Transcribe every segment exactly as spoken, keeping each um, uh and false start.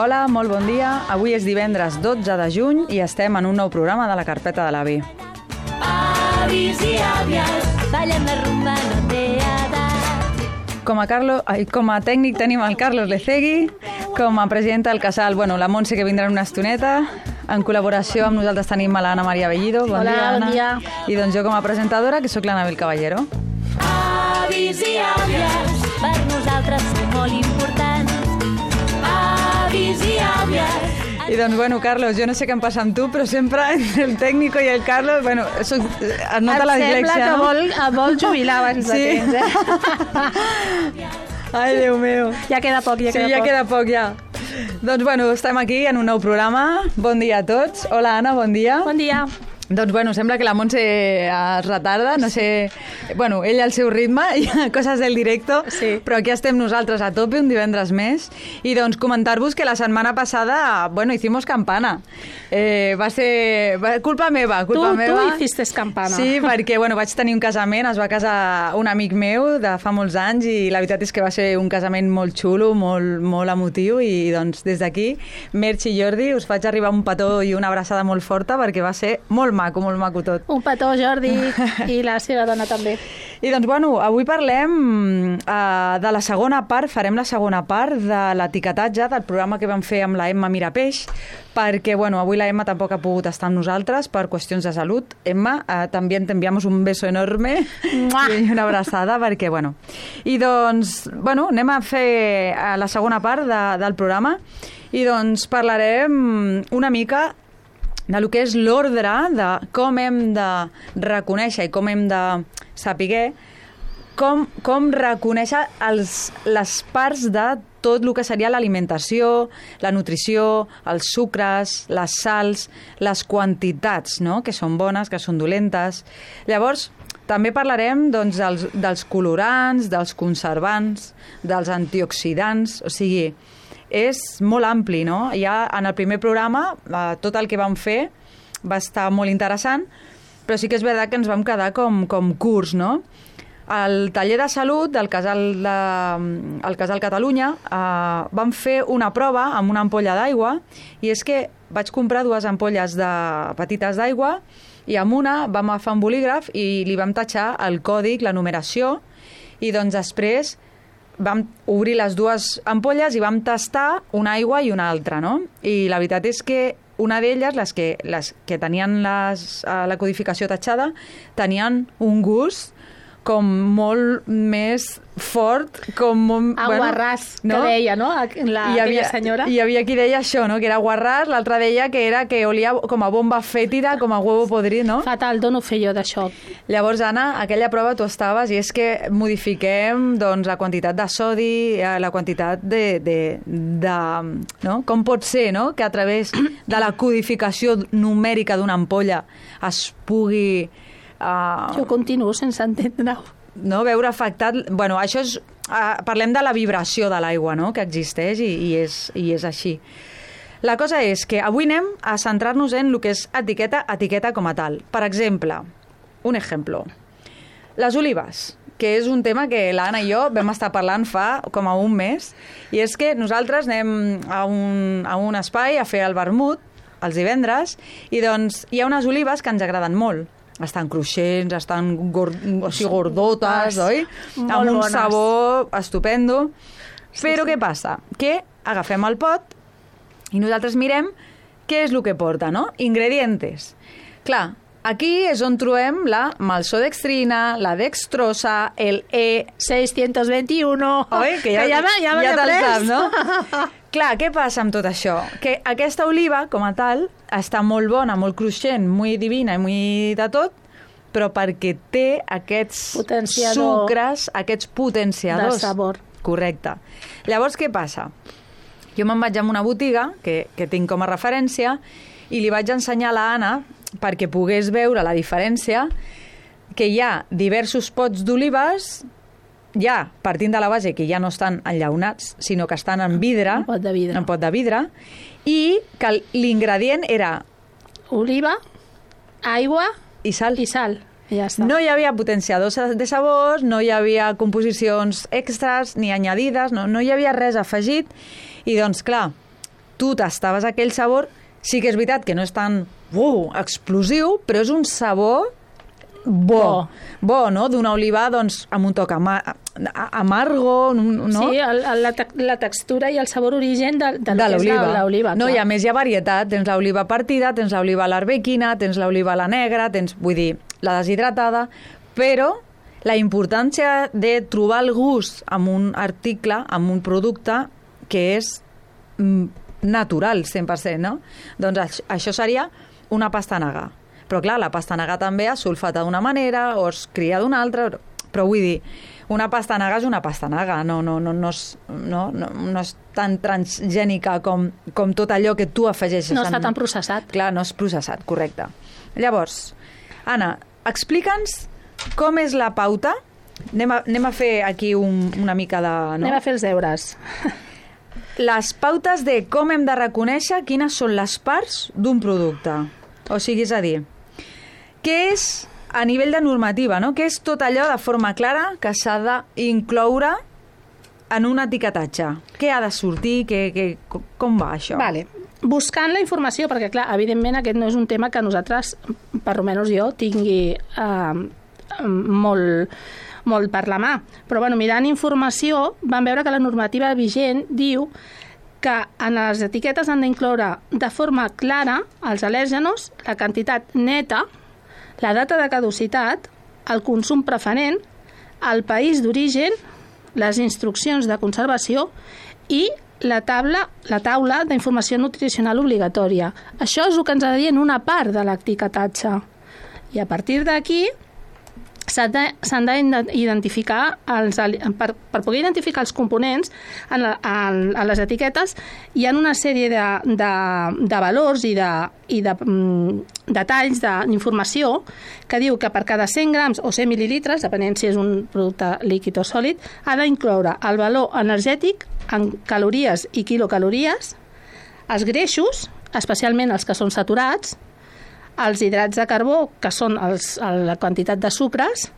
Hola, molt bon dia. Avui és divendres dotze de juny i estem en un nou programa de la carpeta de l'avi. Avis i àvies, ballen la rumba, no té edat. Com a, Carlo, ai, com a tècnic tenim el Carlos Lecegui, com a presidenta del casal, bueno, la Montse, que vindrà en una estoneta. En col·laboració amb nosaltres tenim a l'Anna Maria Bellido. Bon Hola, dia, Anna. bon dia. I doncs jo com a presentadora, que sóc l'Anabel Caballero. Avis i àvies, per nosaltres són molt importants. Avis i àvies. I doncs, bueno, Carlos, jo no sé què em passa amb tu, però sempre entre el tècnico i el Carlos, bueno, soc, es nota la dislexia, sembla que no? vol, et vol jubilar abans Sí. de temps, eh? Ai, Déu meu. Ja queda poc, ja Sí, queda ja poc. queda poc, ja. Doncs, bueno, estem aquí en un nou programa. Bon dia a tots. Hola, Anna, bon dia. Bon dia. Doncs, bueno, sembla que la Montse es retarda, no sé... Bueno, ella al seu ritme, i coses del directo, Sí. però aquí estem nosaltres a tope un divendres més. I doncs comentar-vos que la setmana passada, bueno, hicimos campana. Eh, va ser... Va, culpa meva, culpa Tu, meva. tu hiciste campana. Sí, perquè, bueno, vaig tenir un casament, es va casar un amic meu de fa molts anys i la veritat és que va ser un casament molt xulo, molt, molt emotiu i, doncs, des d'aquí, Merch i Jordi, us faig arribar un petó i una abraçada molt forta perquè va ser molt maco, molt maco tot. Un petó, Jordi, i la seva dona també. I doncs, bueno, avui parlem uh, de la segona part, farem la segona part de l'etiquetatge del programa que vam fer amb la Emma Mirapeix, perquè, bueno, avui la Emma tampoc ha pogut estar amb nosaltres per qüestions de salut. Emma, uh, també t'enviamos un beso enorme Mua! i una abraçada, perquè, bueno... I doncs, bueno, anem a fer uh, la segona part de, del programa i doncs parlarem una mica de lo que és l'ordre de com hem de reconèixer i com hem de saber com, com reconèixer els, les parts de tot el que seria l'alimentació, la nutrició, els sucres, les sals, les quantitats, no? Que són bones, que són dolentes. Llavors, també parlarem doncs, dels, dels colorants, dels conservants, dels antioxidants, o sigui, és molt ampli, no? Ja en el primer programa, eh, tot el que vam fer va estar molt interessant, però sí que és veritat que ens vam quedar com, com curts, no? Al taller de salut del casal, de, el casal Catalunya eh, vam fer una prova amb una ampolla d'aigua i és que vaig comprar dues ampolles de, petites d'aigua i amb una vam agafar un bolígraf i li vam tatxar el còdic, la numeració i doncs després vam obrir les dues ampolles i vam tastar una aigua i una altra, no? I la veritat és que una d'elles, les que, les que tenien les, la codificació tatxada, tenien un gust com molt més fort, com molt... Aguarràs, bueno, que deia, no? La, hi havia, aquella senyora. Hi havia qui deia això, no? Que era aguarràs, l'altra deia que era que olia com a bomba fètida, com a huevo podrit, no? Fatal, dono fer jo d'això. Llavors, Anna, aquella prova tu estaves i és que modifiquem doncs, la quantitat de sodi, la quantitat de, de, de... No? Com pot ser, no?, que a través de la codificació numèrica d'una ampolla es pugui... Uh, Jo continuo sense entendre-ho. no, veure afectat... Bueno, això és... Uh, parlem de la vibració de l'aigua, no?, que existeix i, i, és, i és així. La cosa és que avui anem a centrar-nos en el que és etiqueta, etiqueta com a tal. Per exemple, un exemple. Les olives, que és un tema que l'Anna i jo vam estar parlant fa com a un mes, i és que nosaltres anem a un, a un espai a fer el vermut els divendres, i doncs hi ha unes olives que ens agraden molt. Estan cruixents, estan gord... o sigui, gordotes, oi? Molt amb un bones. sabor estupendo. Sí, Però sí. què passa? Que agafem el pot i nosaltres mirem què és el que porta, no? Ingredientes. Clar, aquí és on trobem la maltodextrina, la dextrosa, el E... seiscientos veintiuno. Oi? Que ja, que ja, me- ja, me ja l'he te'l pres. saps, no? Clar, què passa amb tot això? Que aquesta oliva, com a tal, està molt bona, molt cruixent, molt divina i molt de tot, però perquè té aquests Potenciador sucres, aquests potenciadors. de sabor. Correcte. Llavors, què passa? Jo me'n vaig a una botiga, que, que tinc com a referència, i li vaig ensenyar a la Anna, perquè pogués veure la diferència, que hi ha diversos pots d'olives, ja partint de la base que ja no estan enllaunats, sinó que estan en vidre, Un pot de vidre. en pot de vidre, i que l'ingredient era Oliva, aigua i sal. i sal. I ja està. No hi havia potenciadors de sabors, no hi havia composicions extras ni añadides, no, no hi havia res afegit. I doncs, clar, tu tastaves aquell sabor, sí que és veritat que no és tan uh, explosiu, però és un sabor bo, bo, bo no? D'una oliva doncs, amb un toc ama amargo, no? Sí, el, el, la, te la textura i el sabor origen de, de, de l'oliva. No, i a més hi ha varietat, tens l'oliva partida, tens l'oliva a l'arbequina, tens l'oliva a la negra, tens, vull dir, la deshidratada, però la importància de trobar el gust en un article, en un producte que és natural, cent per cent, no? Doncs això seria una pastanaga. Però clar, la pastanaga també es sulfata d'una manera o es cria d'una altra, però vull dir, una pastanaga és una pastanaga, no, no, no, no, és, no, no, no és tan transgènica com, com tot allò que tu afegeixes. No està en... tan processat. Clar, no és processat, correcte. Llavors, Anna, explica'ns com és la pauta. Anem a, anem a fer aquí un, una mica de... No? Anem a fer els deures. Les pautes de com hem de reconèixer quines són les parts d'un producte. O sigui, és a dir, què és a nivell de normativa, no? Què és tot allò de forma clara que s'ha d'incloure en un etiquetatge? Què ha de sortir? Què, què, com va això? Vale. Buscant la informació, perquè clar, evidentment aquest no és un tema que nosaltres, per almenys jo, tingui eh, molt, molt per la mà. Però bueno, mirant informació vam veure que la normativa vigent diu que en les etiquetes han d'incloure de forma clara els al·lèrgenos, la quantitat neta, la data de caducitat, el consum preferent, el país d'origen, les instruccions de conservació i la taula, la taula d'informació nutricional obligatòria. Això és el que ens ha de dir en una part de l'etiquetatge. I a partir d'aquí s'han d'identificar, per, per poder identificar els components en, la, en, en les etiquetes hi ha una sèrie de, de, de valors i de, i de mm, detalls d'informació que diu que per cada cent grams o cent mil·lilitres, depenent si és un producte líquid o sòlid, ha d'incloure el valor energètic en calories i quilocalories, els greixos, especialment els que són saturats, els hidrats de carbó, que són els, la quantitat de sucres,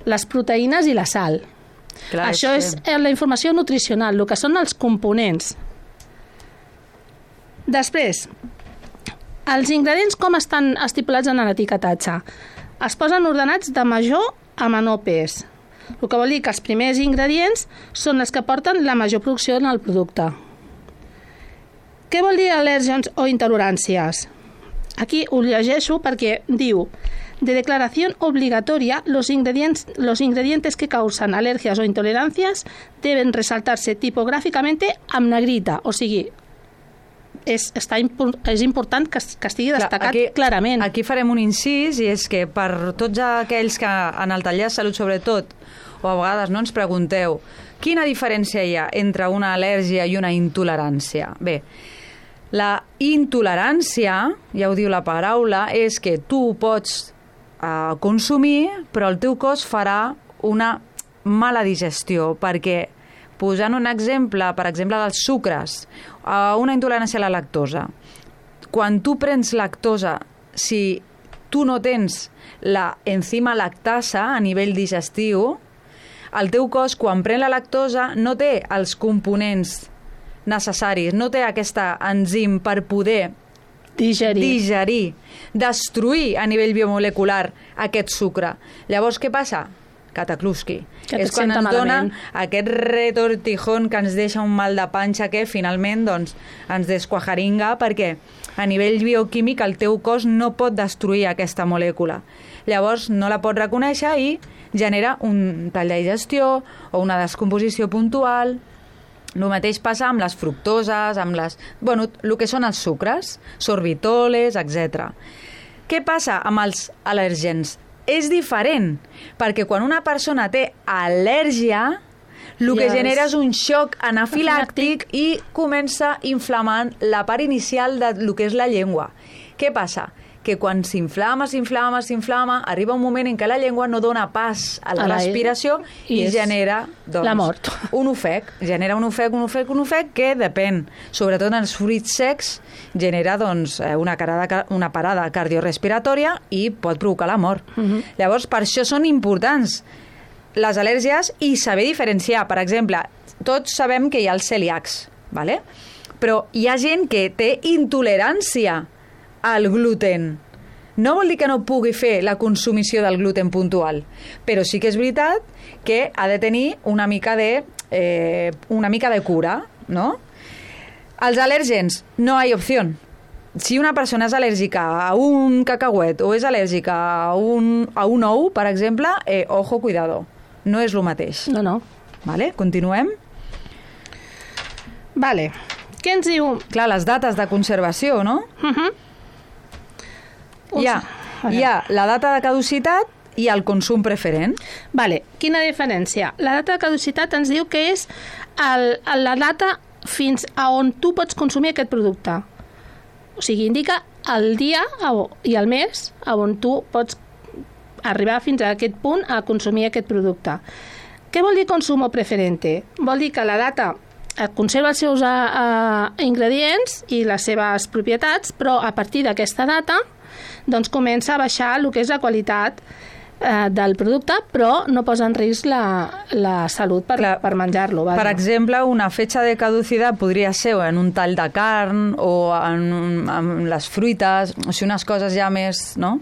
les proteïnes i la sal. Clar, Això és, és la informació nutricional, el que són els components. Després, els ingredients com estan estipulats en l'etiquetatge? Es posen ordenats de major a menor pes. El que vol dir que els primers ingredients són els que porten la major producció en el producte. Què vol dir al·lèrgens o intoleràncies? Aquí ho llegeixo perquè diu de declaración obligatoria los ingredientes, los ingredientes que causan alergias o intolerancias deben resaltarse tipográficamente amb negrita, o sigui, és, està, és important que, que estigui destacat aquí, clarament. Aquí farem un incís, i és que per tots aquells que en el taller de salut sobretot, o a vegades no ens pregunteu quina diferència hi ha entre una al·lèrgia i una intolerància. Bé, la intolerància, ja ho diu la paraula, és que tu pots eh, consumir, però el teu cos farà una mala digestió, perquè, posant un exemple, per exemple, dels sucres, eh, una intolerància a la lactosa. Quan tu prens lactosa, si tu no tens la enzima lactasa a nivell digestiu, el teu cos, quan pren la lactosa, no té els components necessaris, no té aquesta enzim per poder digerir. digerir, destruir a nivell biomolecular aquest sucre. Llavors, què passa? Cataclusqui. Que és quan ens malament. dona aquest retortijón que ens deixa un mal de panxa que finalment doncs, ens desquajaringa, perquè a nivell bioquímic el teu cos no pot destruir aquesta molècula. Llavors no la pot reconèixer i genera un tall de digestió o una descomposició puntual. El mateix passa amb les fructoses, amb les... Bueno, el que són els sucres, sorbitoles, etcètera. Què passa amb els al·lèrgens? És diferent, perquè quan una persona té al·lèrgia, el que Yes. genera és un xoc anafilàctic i comença inflamant la part inicial del que és la llengua. Què passa? Que quan s'inflama, s'inflama, s'inflama, arriba un moment en què la llengua no dona pas a la A la- respiració i, i és genera doncs, la mort. un ofec. Genera un ofec, un ofec, un ofec que depèn, sobretot en els fruits secs, genera doncs, una, carada, una parada cardiorespiratòria i pot provocar la mort. Uh -huh. Llavors, per això són importants les al·lèrgies i saber diferenciar. Per exemple, tots sabem que hi ha els celíacs, ¿vale? però hi ha gent que té intolerància al gluten. No vol dir que no pugui fer la consumició del gluten puntual, però sí que és veritat que ha de tenir una mica de, eh, una mica de cura, no? Els al·lèrgens, no hi ha opció. Si una persona és al·lèrgica a un cacauet o és al·lèrgica a un, a un ou, per exemple, eh, ojo, cuidado, no és el mateix. No, no. Vale? Continuem. Vale. Què ens diu? Clar, les dates de conservació, no? Uh -huh. Hi ha, hi ha la data de caducitat i el consum preferent. Vale. Quina diferència? La data de caducitat ens diu que és el, la data fins a on tu pots consumir aquest producte. O sigui, indica el dia i el mes on tu pots arribar fins a aquest punt a consumir aquest producte. Què vol dir consumo preferente? Vol dir que la data conserva els seus uh, ingredients i les seves propietats, però a partir d'aquesta data doncs comença a baixar el que és la qualitat eh, del producte, però no posa en risc la, la salut per, Clar, per menjar-lo. Per exemple, una fetge de caducitat podria ser en un tall de carn o en, en les fruites, o sigui, unes coses ja més, no?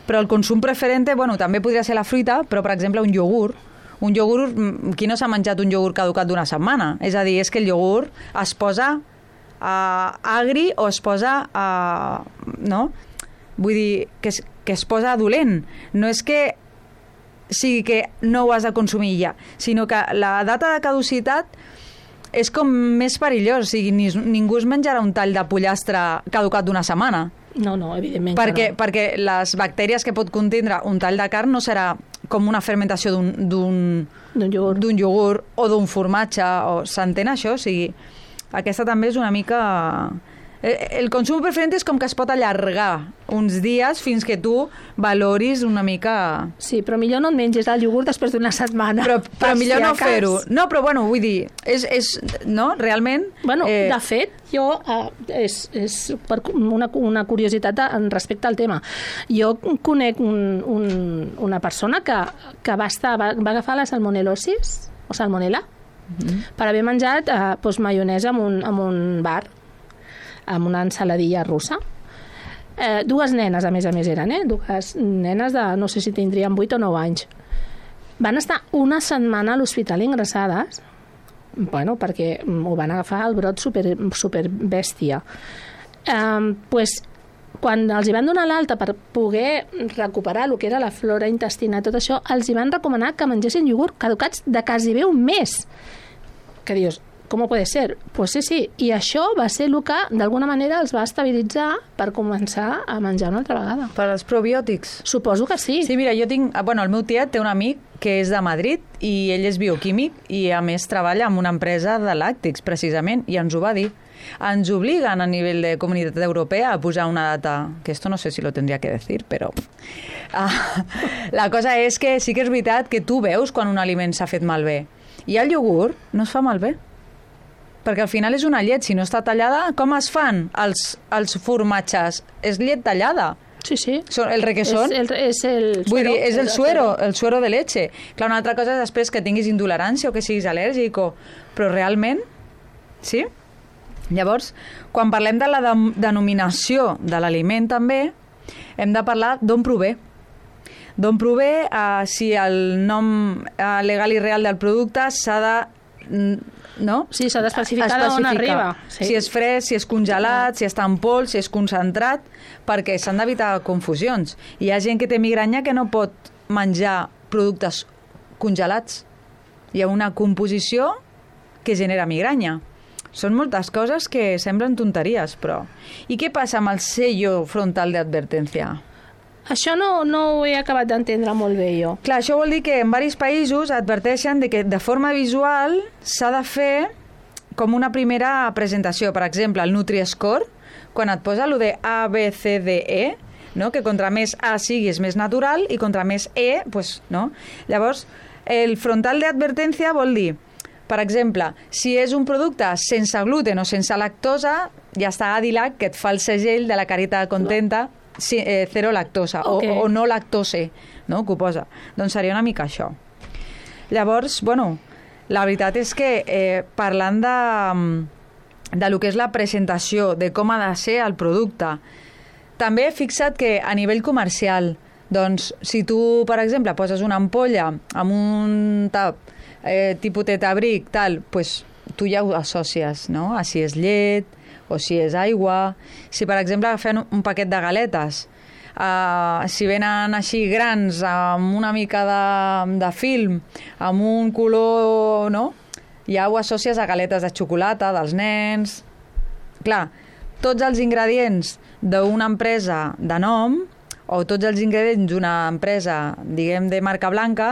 Però el consum preferente, bueno, també podria ser la fruita, però, per exemple, un iogurt. Un iogurt, qui no s'ha menjat un iogurt caducat d'una setmana? És a dir, és que el iogurt es posa uh, agri o es posa... Uh, no? Vull dir, que es, que es posa dolent. No és que sigui que no ho has de consumir ja, sinó que la data de caducitat és com més perillós. O sigui, ni, ningú es menjarà un tall de pollastre caducat d'una setmana. No, no, evidentment perquè, no. Perquè les bactèries que pot contindre un tall de carn no serà com una fermentació d'un iogurt. iogurt o d'un formatge. O, s'entén això? O sigui, aquesta també és una mica... El consum preferent és com que es pot allargar uns dies fins que tu valoris una mica... Sí, però millor no et menges el iogurt després d'una setmana. Però, però millor no fer-ho. No, però bueno, vull dir, és, és no, realment... Bueno, eh... de fet, jo, eh, és, és per una, una curiositat en respecte al tema. Jo conec un, un, una persona que, que va, estar, va, va agafar la salmonel·losis, o salmonella, mm-hmm. per haver menjat eh, doncs, maionesa en un, en un bar, amb una ensaladilla russa. Eh, dues nenes, a més a més, eren, eh? Dues nenes de, no sé si tindrien vuit o nou anys. Van estar una setmana a l'hospital ingressades, bueno, perquè ho van agafar el brot super, super bèstia. Eh, pues, quan els hi van donar l'alta per poder recuperar el que era la flora intestinal, tot això, els hi van recomanar que mengessin iogurt caducats de quasi bé un mes. Que dius, com pot ser? Pues sí, sí. I això va ser el que, d'alguna manera, els va estabilitzar per començar a menjar una altra vegada. Per als probiòtics? Suposo que sí. Sí, mira, jo tinc... Bueno, el meu tiet té un amic que és de Madrid i ell és bioquímic i, a més, treballa en una empresa de làctics, precisament, i ens ho va dir. Ens obliguen a nivell de comunitat europea a posar una data, que esto no sé si lo tendría que decir, però... Ah, la cosa és que sí que és veritat que tu veus quan un aliment s'ha fet malbé. I el iogurt no es fa malbé. Perquè al final és una llet, si no està tallada, com es fan els, els formatges? És llet tallada. Sí, sí. El requesón. És el, és el suero. Vull dir, és el suero, el suero de leche. Clar, una altra cosa és després que tinguis intolerància o que siguis al·lèrgic, o... però realment, sí? Llavors, quan parlem de la de denominació de l'aliment també, hem de parlar d'on prové. D'on prové, uh, si el nom uh, legal i real del producte s'ha de... No? Sí, s'ha d'especificar d'on arriba. Sí. Si és fresc, si és congelat, si està en pols, si és concentrat, perquè s'han d'evitar confusions. Hi ha gent que té migranya que no pot menjar productes congelats. Hi ha una composició que genera migranya. Són moltes coses que semblen tonteries, però... I què passa amb el sello frontal d'advertència? Això no, no ho he acabat d'entendre molt bé jo. Clar, això vol dir que en diversos països adverteixen de que de forma visual s'ha de fer com una primera presentació. Per exemple, el Nutri-Score, quan et posa allò de A, B, C, D, E, no? Que contra més A siguis més natural i contra més E, pues, no? Llavors, el frontal d'advertència vol dir, per exemple, si és un producte sense gluten o sense lactosa, ja està Adilac, que et fa el segell de la carita contenta, sí, eh, zero lactosa, okay. o, o no lactose, no? Que ho posa. Doncs seria una mica això. Llavors, bueno, la veritat és que eh, parlant de, de lo que és la presentació, de com ha de ser el producte. També he fixat que a nivell comercial, doncs, si tu, per exemple, poses una ampolla amb un tap eh, tipus tetabric, tal, pues, tu ja ho associes, no? A si és llet o si és aigua. Si, per exemple, agafem un paquet de galetes, Uh, si venen així grans, amb una mica de, de film, amb un color, no? Ja ho associes a galetes de xocolata, dels nens. Clar, tots els ingredients d'una empresa de nom, o tots els ingredients d'una empresa, diguem, de marca blanca,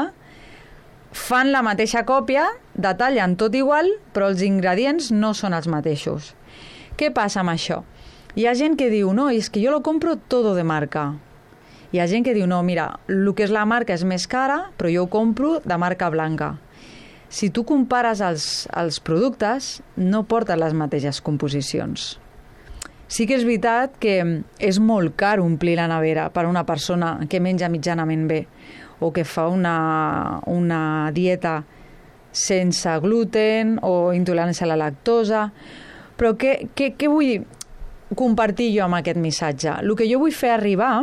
fan la mateixa còpia, detallen tot igual, però els ingredients no són els mateixos. Què passa amb això? Hi ha gent que diu, no, és que jo lo compro todo de marca. Hi ha gent que diu, no, mira, el que és la marca és més cara, però jo ho compro de marca blanca. Si tu compares els, els productes, no porten les mateixes composicions. Sí que és veritat que és molt car omplir la nevera per a una persona que menja mitjanament bé o que fa una, una dieta sense gluten o intolerància a la lactosa. Però què, què, què vull compartir jo amb aquest missatge? El que jo vull fer arribar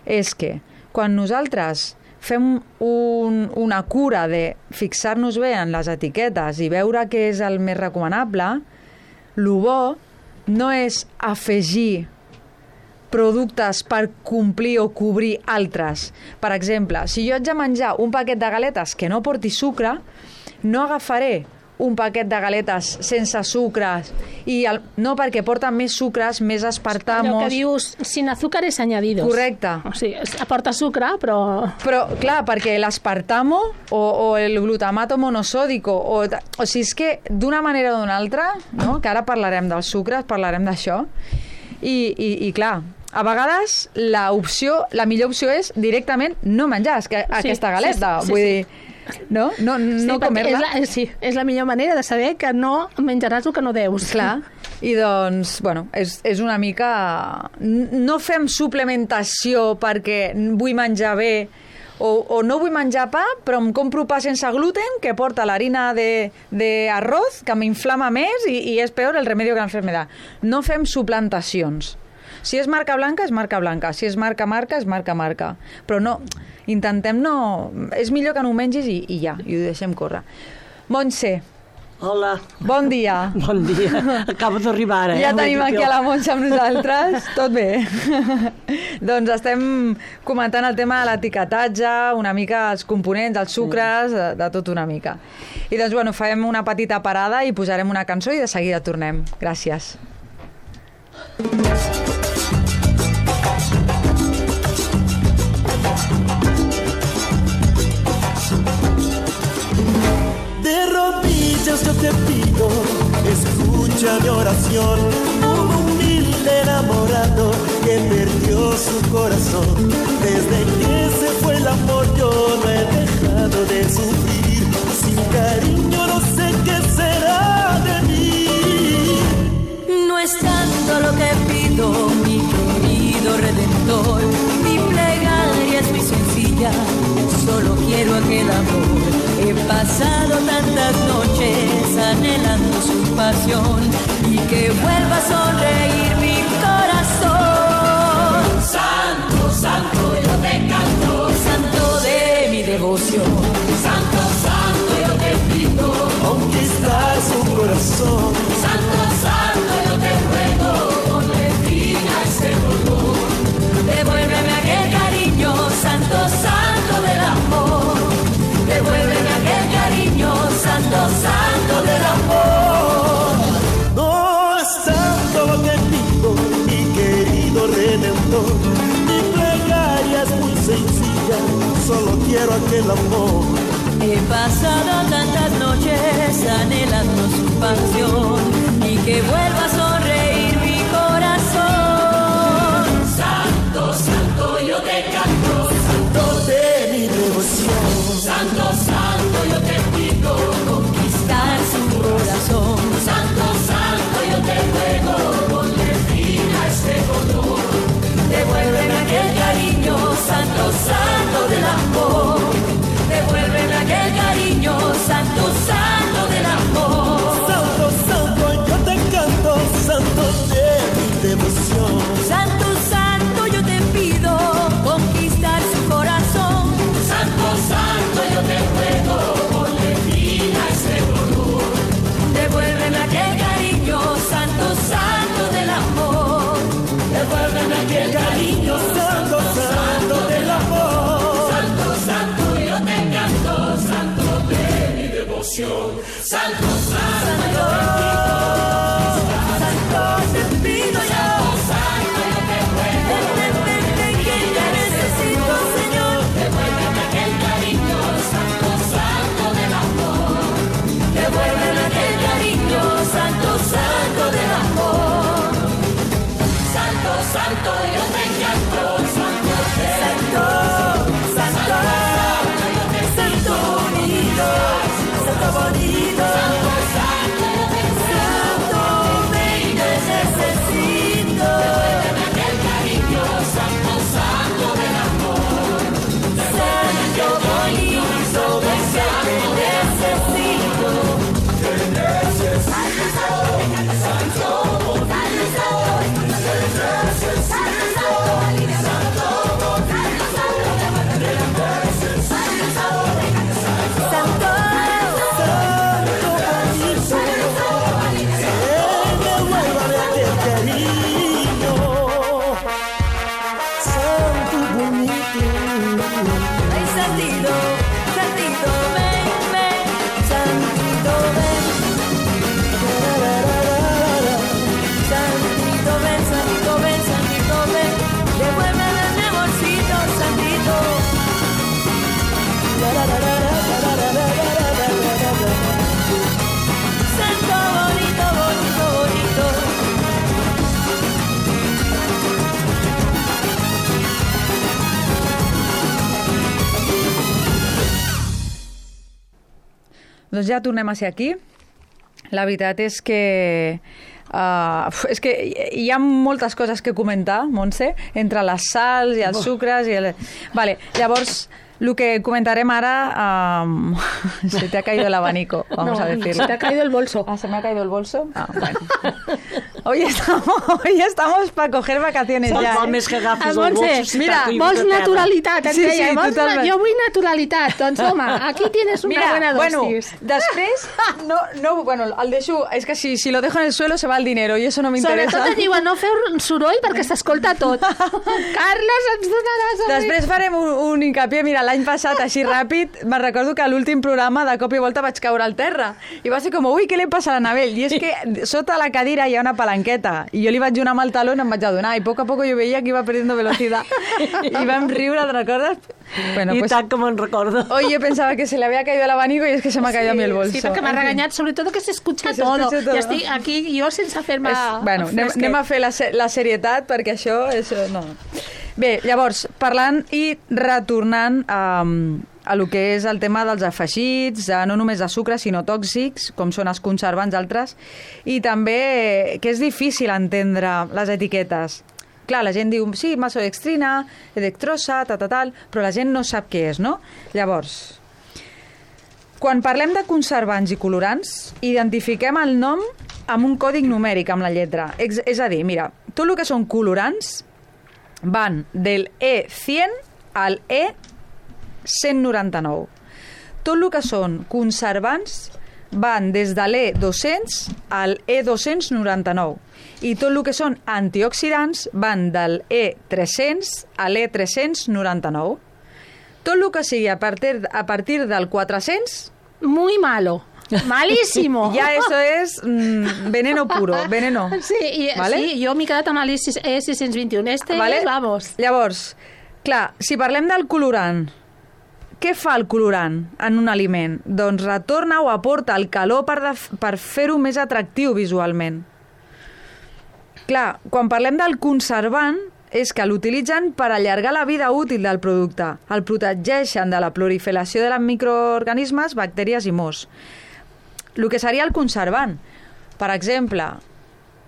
és que quan nosaltres fem un, una cura de fixar-nos bé en les etiquetes i veure què és el més recomanable, el bo no és afegir productes per complir o cobrir altres. Per exemple, si jo haig de menjar un paquet de galetes que no porti sucre, no agafaré un paquet de galetes sense sucres, i el, no perquè porten més sucres, més aspartamos... Allò que dius, sin azúcares añadidos. Correcte. O sigui, aporta sucre, però... Però, clar, perquè l'aspartamo o, o el glutamato monosòdico, o, o sigui, és que d'una manera o d'una altra, no? Que ara parlarem dels sucres, parlarem d'això, i, i, i clar, a vegades la opció, la millor opció és directament no menjar que, sí, aquesta galeta, sí, sí, vull sí, dir... Sí. No, no, no sí, comer-la. És la, sí, és la millor manera de saber que no menjaràs el que no deus. Clar, i doncs, bueno, és, és una mica... No fem suplementació perquè vull menjar bé o, o no vull menjar pa, però em compro pa sense gluten que porta l'harina d'arroz, que m'inflama més i, i és peor el remedio que l'enfermedad. No fem suplantacions. Si és marca blanca, és marca blanca. Si és marca marca, és marca marca. Però no, intentem no... És millor que no ho mengis i, i ja, i ho deixem córrer. Montse. Hola. Bon dia. Bon dia. Acabo d'arribar ara. Eh? Ja tenim aquí a la Montse amb nosaltres. Tot bé. Doncs estem comentant el tema de l'etiquetatge, una mica els components, els sucres, de, de tot una mica. I doncs, bueno, farem una petita parada i posarem una cançó i de seguida tornem. Gràcies. De rodillas yo te pido, escucha mi oración, un humilde enamorado que perdió su corazón. Desde que se fue el amor yo no he dejado de sufrir, sin cariño no sé qué será de mí. No es tanto lo que pido, mi querido Redentor, mi plegaria es muy sencilla, solo quiero aquel amor. He pasado tantas noches anhelando su pasión y que vuelva a sonreír mi corazón. Santo, santo, yo te canto, santo de mi devoción. Santo, santo, yo te pido conquistar su corazón. Santo, santo, yo te ruego, ponle fin a este dolor. Devuélveme aquel cariño, santo, santo del amor. Devuélveme aquel cariño, santo, santo del amor. No es tanto lo que pido, mi querido Redentor. Mi plegaria es muy sencilla, solo quiero aquel amor. He pasado tantas noches anhelando su pasión y que vuelva a sonreír mi corazón. Santo, santo, yo te canto, santo de mi devoción. Santo, santo, yo te pido conquistar su corazón. Santo, santo, yo te ruego, ponle fin a este dolor. Devuélveme aquel cariño, santo, santo del amor. Devuélveme aquel cariño, santo, santo del amor. Santo, santo, yo te canto, devoción. Santo, santo, Santo, te pido yo. santo, yo te ruego. Ven, ven, ven, que te necesito, Señor. Devuélveme aquel cariño, santo, santo del amor. Devuélveme aquel cariño, santo, santo del amor. Santo, santo, yo te canto, santo, Santo, santo, santo bonito, santo bonito, santo, ven, te necesito. devuélveme aquel cariño, santo, santo del amor. Santo bonito, ven, que te necesito. Santo, Devuélvame aquel cariño, santo bonito. ay, santito, santito, ven, ven, santito, ven. Santito, ven, santito, ven, santito, ven. Devuélveme mi amorcito, santito. Santo bonito, bonito, bonito. Doncs ja tornem a ser aquí. La veritat és que... Uh, és que hi ha moltes coses que comentar, Montse, entre les sals i els sucres i el... Vale, llavors, lo que comentarem ara... Um... se te ha caído el abanico, vamos No, a decirlo. se te ha caído el bolso. Ah, ¿se me ha caído el bolso? Ah, bueno. Hoy estamos, hoy estamos para coger vacaciones Val ya, val ¿eh? més que agafis Ah, el Montse, bolso si mira, t'ha caigut Vols a terra. naturalitat, et Sí, deia. sí, Vols totalment. na- jo vull naturalitat. Doncs home, aquí tienes una Mira, buena bueno, dosis. després, no, no, bueno, el deixo, és que si, si lo dejo en el suelo se va el dinero y eso no me interesa. Sobretot et diuen no feu soroll perquè s'escolta tot. Carles, ens donaràs a mi. Després farem un, un hincapié. Mira, l'any passat, així ràpid, me'n recordo que a l'últim programa de cop i volta vaig caure al terra. I va ser com, ui, què li passa a l'Anabel? I és que sota la cadira hi ha una palanqueta. I jo li vaig donar amb el taló i em vaig adonar. I poc a poc jo veia que iba perdiendo velocidad. I vam riure, ¿te recordas? Bueno, I pues tant que me'n recordo. hoy yo pensaba que se le había caído el abanico y es que se me ha caído a mí el bolso. Sí, perquè m'ha En fin. regañat, sobretot que s'escucha Que se todo. escuche todo. I estic aquí jo sense fer-me... És, bueno, anem, anem a fer la, se- la serietat perquè això és... No. Bé, llavors, parlant i retornant a, a lo que és el tema dels afegits, eh, no només de sucre, sinó tòxics, com són els conservants, altres, i també que és difícil entendre les etiquetes. Clar, la gent diu, sí, maltodextrina, dextrosa, ta, ta, tal, però la gent no sap què és, no? Llavors, quan parlem de conservants i colorants, identifiquem el nom amb un còdig numèric, amb la lletra. És, és a dir, mira, tot el que són colorants van del E cent al E cent noranta-nou. Tot el que són conservants van des de l'E dos-cents al E dos-cents noranta-nou. I tot el que són antioxidants van del E tres-cents a l'E tres-cents noranta-nou. Tot el que sigui a partir, a partir del quatre-cents, Muy malo. Malísimo. ya eso es mm, veneno puro, veneno. Sí, i, Vale? sí, jo m'he quedat amb l'E sis cents vint-i-un. Este, Vale? vamos. Llavors, clar, si parlem del colorant, què fa el colorant en un aliment? Doncs retorna o aporta el calor per, de, per fer-ho més atractiu visualment. Clar, quan parlem del conservant, és que l'utilitzen per allargar la vida útil del producte. El protegeixen de la proliferació de microorganismes, bactèries i mos. El que seria el conservant. Per exemple,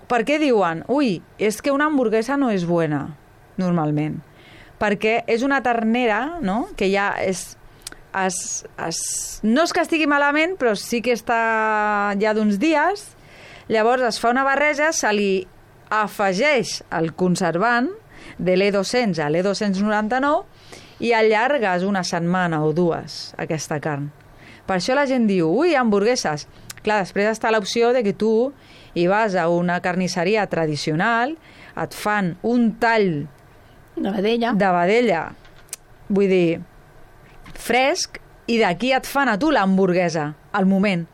per què diuen ui, és que una hamburguesa no és bona, normalment? Perquè és una ternera, no?, que ja és... Es, es, no és que estigui malament, però sí que està ja d'uns dies. Llavors es fa una barreja, se li afegeix el conservant de l'E dos-cents a l'E dos-cents noranta-nou i allargues una setmana o dues aquesta carn. Per això la gent diu, ui, hamburgueses. Clar, després està l'opció de que tu hi vas a una carnisseria tradicional, et fan un tall De vedella. de vedella, vull dir, fresc, i d'aquí et fan a tu l'hamburguesa, al moment,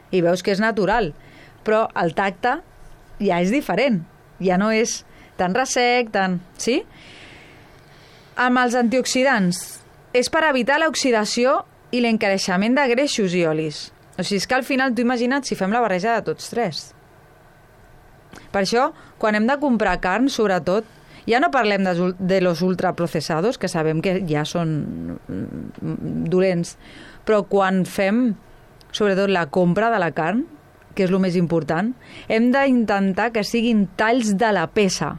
i veus que és natural, però el tacte ja és diferent, ja no és tan ressec, tan... Sí? Amb els antioxidants, és per evitar l'oxidació i l'encareixement de greixos i olis. O sigui, és que al final, tu imagina't si fem la barreja de tots tres. Per això, quan hem de comprar carn, sobretot, ja no parlem de, de los ultraprocesados, que sabem que ja són dolents, però quan fem, sobretot, la compra de la carn, que és el més important, hem d'intentar que siguin talls de la peça.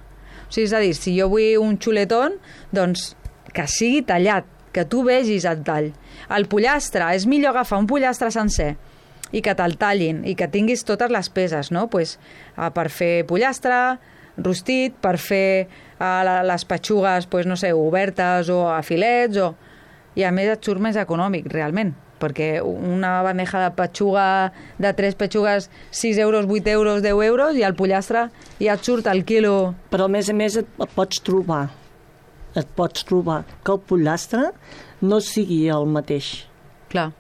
O sigui, és a dir, si jo vull un xuletón, doncs que sigui tallat, que tu vegis el tall. El pollastre, és millor agafar un pollastre sencer i que te'l tallin i que tinguis totes les peces, no? Pues, uh, per fer pollastre, rostit, per fer uh, les petxugues, pues, no sé, obertes o a filets, o... i a més et surt més econòmic, realment, perquè una bandeja de petxuga, de tres petxugues, sis euros, vuit euros, deu euros, i el pollastre ja et surt al quilo. Però a més a més et, et pots trobar, et pots trobar que el pollastre no sigui el mateix. Clar.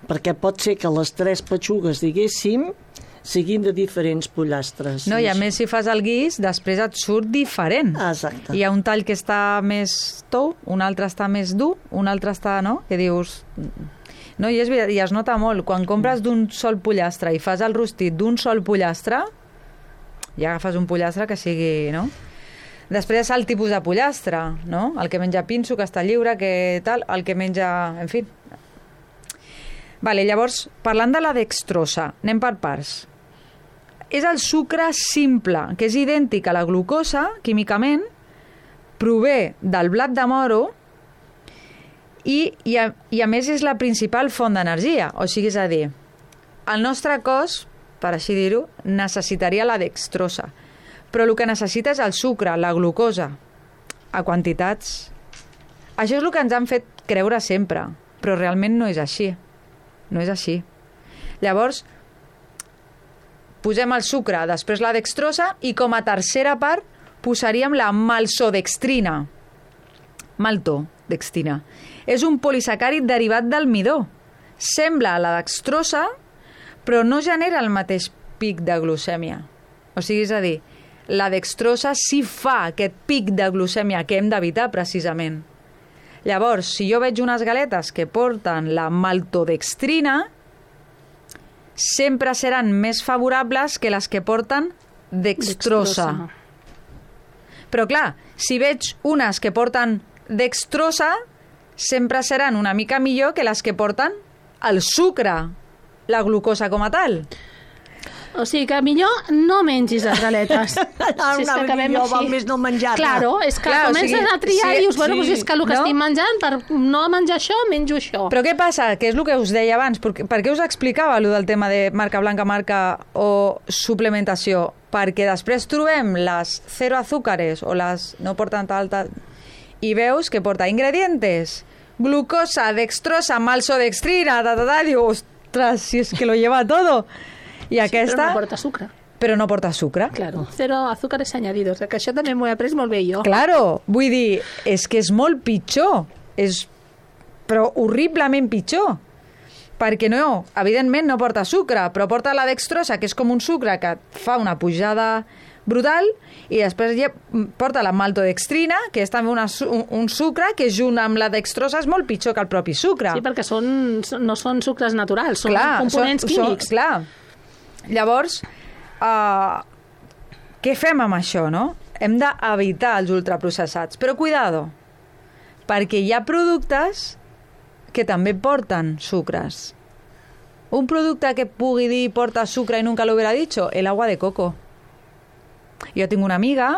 Perquè pot ser que les tres petxugues, diguéssim, siguin de diferents pollastres. No, i a més, si fas el guix, després et surt diferent. Exacte. Hi ha un tall que està més tou, un altre està més dur, un altre està, no?, que dius... No, i, és, i es nota molt. Quan compres d'un sol pollastre i fas el rostit d'un sol pollastre, ja agafes un pollastre que sigui, no? Després és el tipus de pollastre, no? El que menja pinso, que està lliure, que tal, el que menja... En fi. Vale, llavors, parlant de la dextrosa, anem per parts. És el sucre simple, que és idèntic a la glucosa, químicament, prové del blat de moro i, i, a, i a més és la principal font d'energia. O sigui, és a dir, el nostre cos, per així dir-ho, necessitaria la dextrosa. Però el que necessita és el sucre, la glucosa, a quantitats. Això és el que ens han fet creure sempre, però realment no és així. No és així. Llavors, posem el sucre, després la dextrosa, i com a tercera part posaríem la maltodextrina. Maltodextrina. És un polisacàrid derivat del midó. Sembla la dextrosa, però no genera el mateix pic de glucèmia. O sigui, és a dir, la dextrosa sí fa aquest pic de glucèmia que hem d'evitar precisament. Llavors, si jo veig unes galetes que porten la maltodextrina, sempre seran més favorables que les que porten dextrosa. dextrosa. Però clar, si veig unes que porten dextrosa, sempre seran una mica millor que les que porten el sucre, la glucosa com a tal. O sigui que millor no mengis les galetes. Ah, si és que acabem millor, val més no menjar-ne. Claro, és que Clar, comences o sigui, a triar sí, i dius, bueno, sí, pues és que el que no? estic menjant, per no menjar això, menjo això. Però què passa? Que és el que us deia abans. Per, per què us explicava allò del tema de marca blanca, marca o suplementació? Perquè després trobem les zero azúcares o les no porten tal, tal, i veus que porta ingredientes, glucosa, dextrosa, maltodextrina, ta, ta, ta, i diu, ostres, si és que lo lleva todo. I aquesta... Sí, però no porta sucre. Però no porta sucre. Claro, cero azúcares añadidos, que això també m'ho he après molt bé jo. Claro, vull dir, és que és molt pitjor, és però horriblement pitjor, perquè no, evidentment no porta sucre, però porta la dextrosa, que és com un sucre que fa una pujada brutal, i després ja porta la maltodextrina, que és també una, un, un sucre que junt amb la dextrosa és molt pitjor que el propi sucre. Sí, perquè són, no són sucres naturals, són clar, components són, químics. Són, clar. Llavors, uh, què fem amb això, no? Hem d'evitar els ultraprocessats. Però cuidado, perquè hi ha productes que també porten sucres. Un producte que pugui dir porta sucre i nunca lo hubiera dicho, el agua de coco. Jo tinc una amiga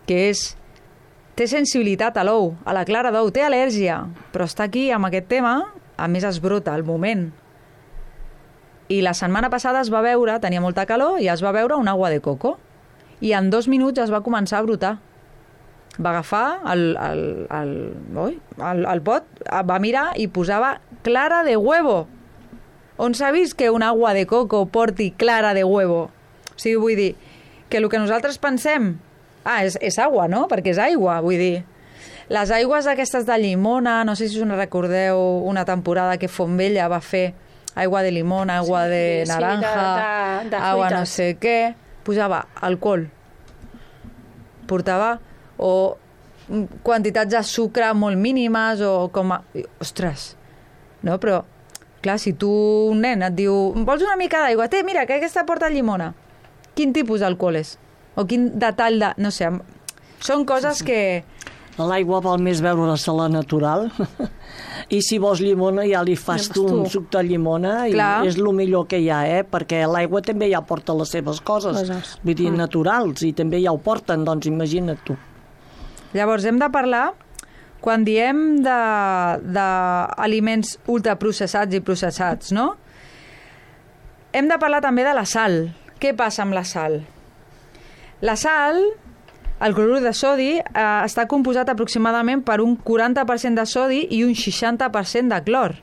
que és, té sensibilitat a l'ou, a la clara d'ou, té al·lèrgia, però està aquí amb aquest tema, a més es brota al moment. I la setmana passada es va veure, tenia molta calor, i es va veure un agua de coco. I en dos minuts es va començar a brotar. Va agafar el, el, el, oi, el, el pot, va mirar i posava clara de huevo. On s'ha vist que un agua de coco porti clara de huevo? O sigui, vull dir, que el que nosaltres pensem, ah, és, és aigua, no? Perquè és aigua, vull dir. Les aigües aquestes de llimona, no sé si us en recordeu una temporada que Fontvella va fer aigua de limona, aigua Sí, de sí, naranja, de- de- de aigua no fruites. sé què, posava alcohol, portava o quantitats de sucre molt mínimes o com a... Ostres, no? Però, clar, si tu, un nen, et diu vols una mica d'aigua? Té, mira, que aquesta porta llimona. Quin tipus d'alcohol és? O quin detall de... No sé, són coses sí, sí. que... L'aigua val més beure-se la natural i si vols llimona ja li fas tu un suc de llimona i Clar. és el millor que hi ha, eh? Perquè l'aigua també ja porta les seves coses, Coses. vull dir, Mm. naturals, i també ja ho porten, doncs imagina't tu. Llavors, hem de parlar, quan diem d'aliments ultraprocessats i processats, no? Hem de parlar també de la sal. Què passa amb la sal? La sal, el clorur de sodi, eh, està composat aproximadament per un quaranta per cent de sodi i un seixanta per cent de clor.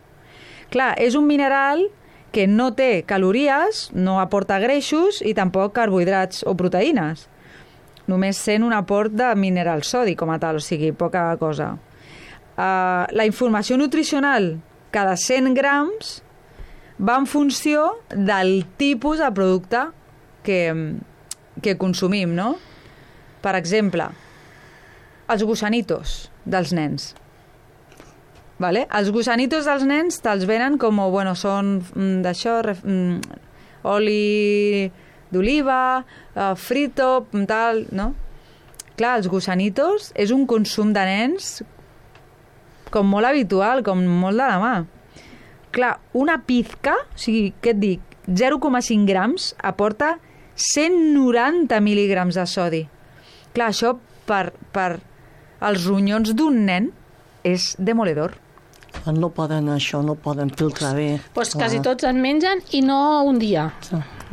Clar, és un mineral que no té calories, no aporta greixos i tampoc carbohidrats o proteïnes. Només sent un aport de mineral sodi com a tal, o sigui, poca cosa. Uh, la informació nutricional cada cent grams va en funció del tipus de producte que, que consumim, no? Per exemple, els gusanitos dels nens. Vale? Els gusanitos dels nens te'ls venen com, bueno, són mm, d'això, mm, oli d'oliva, uh, frito, tal, no? Clar, els gusanitos és un consum de nens com molt habitual, com molt de la mà. Clar, una pizca, o sigui, què et dic, zero coma cinc grams aporta cent noranta mil·lígrams de sodi. Clar, això per, per els ronyons d'un nen és demoledor. No poden això, no poden filtrar bé. Pues quasi tots en mengen i no un dia.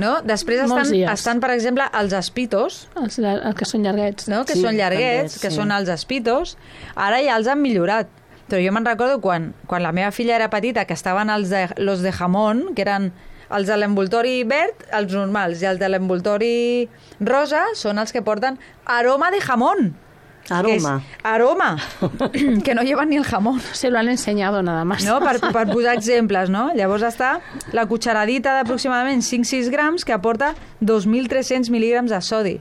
No? Després Molts estan, dies. estan, per exemple, els espitos, Els, els que són llarguets. no? que Sí, són llarguets, també, que sí. són els espitos. Ara ja els han millorat. Però jo me'n recordo quan, quan la meva filla era petita, que estaven els de, los de jamón, que eren els de l'envoltori verd, els normals, i els de l'envoltori rosa són els que porten aroma de jamón. Aroma. Que és aroma, que no llevan ni el jamón. Se lo han enseñado nada más. No? Per, per posar exemples, no? Llavors està la cucharadita d'aproximadament cinc a sis grams que aporta dos mil tres-cents mil·lígrams de sodi.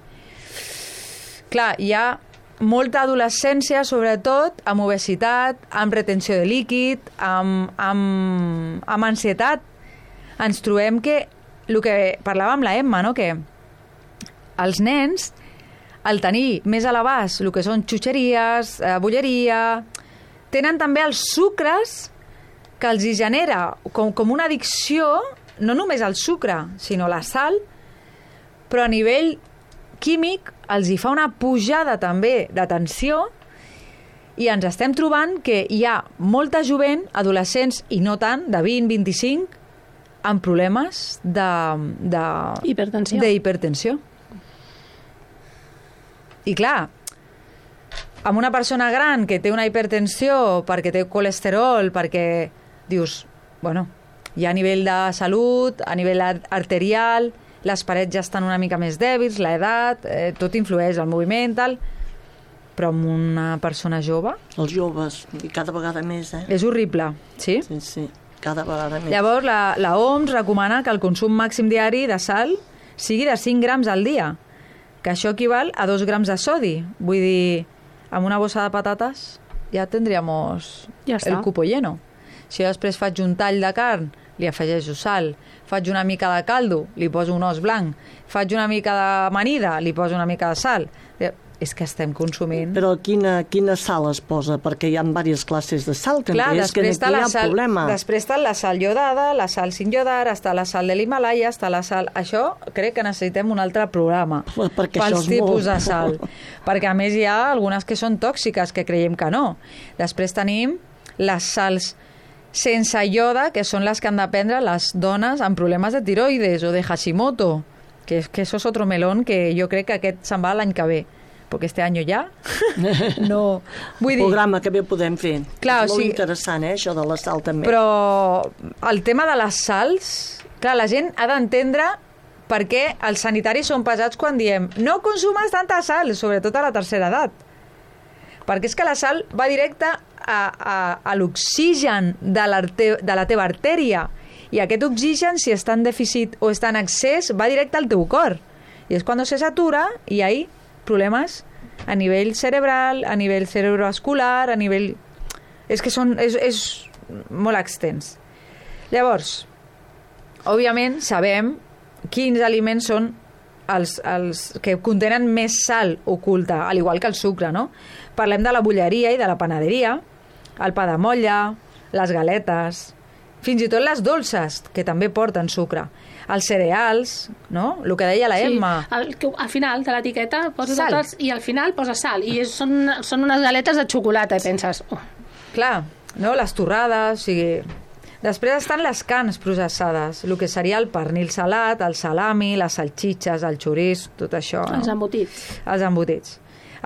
Clar, hi ha molta adolescència, sobretot, amb obesitat, amb retenció de líquid, amb, amb, amb ansietat. Ens trobem que, el que parlava amb la Emma, no? Que els nens, al tenir més a l'abast el que són xutxeries, eh, bolleria, tenen també els sucres que els hi genera com, com una addicció, no només al sucre, sinó la sal, però a nivell químic els hi fa una pujada també de tensió i ens estem trobant que hi ha molta jovent, adolescents i no tant, de vint a vint-i-cinc, amb problemes de, de, Hipertensió. d'hipertensió. I clar, amb una persona gran que té una hipertensió perquè té colesterol, perquè dius, bueno, hi ha a nivell de salut, a nivell arterial, les parets ja estan una mica més dèbils, l'edat, eh, tot influeix, el moviment, tal, però amb una persona jove Els joves, i cada vegada més, eh? és horrible, sí? Sí, sí, cada vegada més. Llavors, la, la O M S recomana que el consum màxim diari de sal sigui de cinc grams al dia, que això equival a dos grams de sodi. Vull dir, amb una bossa de patates ja tindríamos Ja està. el cupo lleno. Si jo després faig un tall de carn, li afegeixo sal, faig una mica de caldo, li poso un os blanc, faig una mica d'amanida, li poso una mica de sal. És que estem consumint... Però quina, quina sal es posa? Perquè hi ha diverses classes de sal, també. Clar, és que després està aquí hi la ha sal, problema. després està la sal iodada, la sal sin iodar, està la sal de l'Himalaya, està la sal... Això crec que necessitem un altre programa Perquè pels això és tipus molt. de sal. Perquè a més hi ha algunes que són tòxiques, que creiem que no. Després tenim les sals sense ioda, que són les que han de prendre les dones amb problemes de tiroides o de Hashimoto, que, que això és otro melón que jo crec que aquest se'n va l'any que ve. Perquè este any ja no... Vull dir, programa que bé podem fer. Clar, és o molt sigui- interessant, eh, això de la sal també. però el tema de les sals, clar, la gent ha d'entendre per què els sanitaris són pesats quan diem no consumes tanta sal, sobretot a la tercera edat. perquè és que la sal va directe a, a, a l'oxigen de, de la teva artèria, i aquest oxigen, si està en dèficit o està en excés, va directe al teu cor, i és quan se satura i hi ha problemes a nivell cerebral, a nivell cerebrovascular, a nivell... És que són, és, és molt extens. Llavors, òbviament, sabem quins aliments són els, els que contenen més sal oculta, al igual que el sucre, no? Parlem de la bolleria i de la panaderia, el pa de motlla, les galetes, fins i tot les dolces, que també porten sucre. Els cereals, no? El que deia la Emma. Sí, al, que al final de l'etiqueta poses Sal. tots i al final posa sal. I és, són, són unes galetes de xocolata, i penses... Oh. Clar, no? Les torrades, o sigui... Després estan les carns processades, el que seria el pernil salat, el salami, les salxitxes, el xoriç, tot això. No? Els embotits. Els embotits.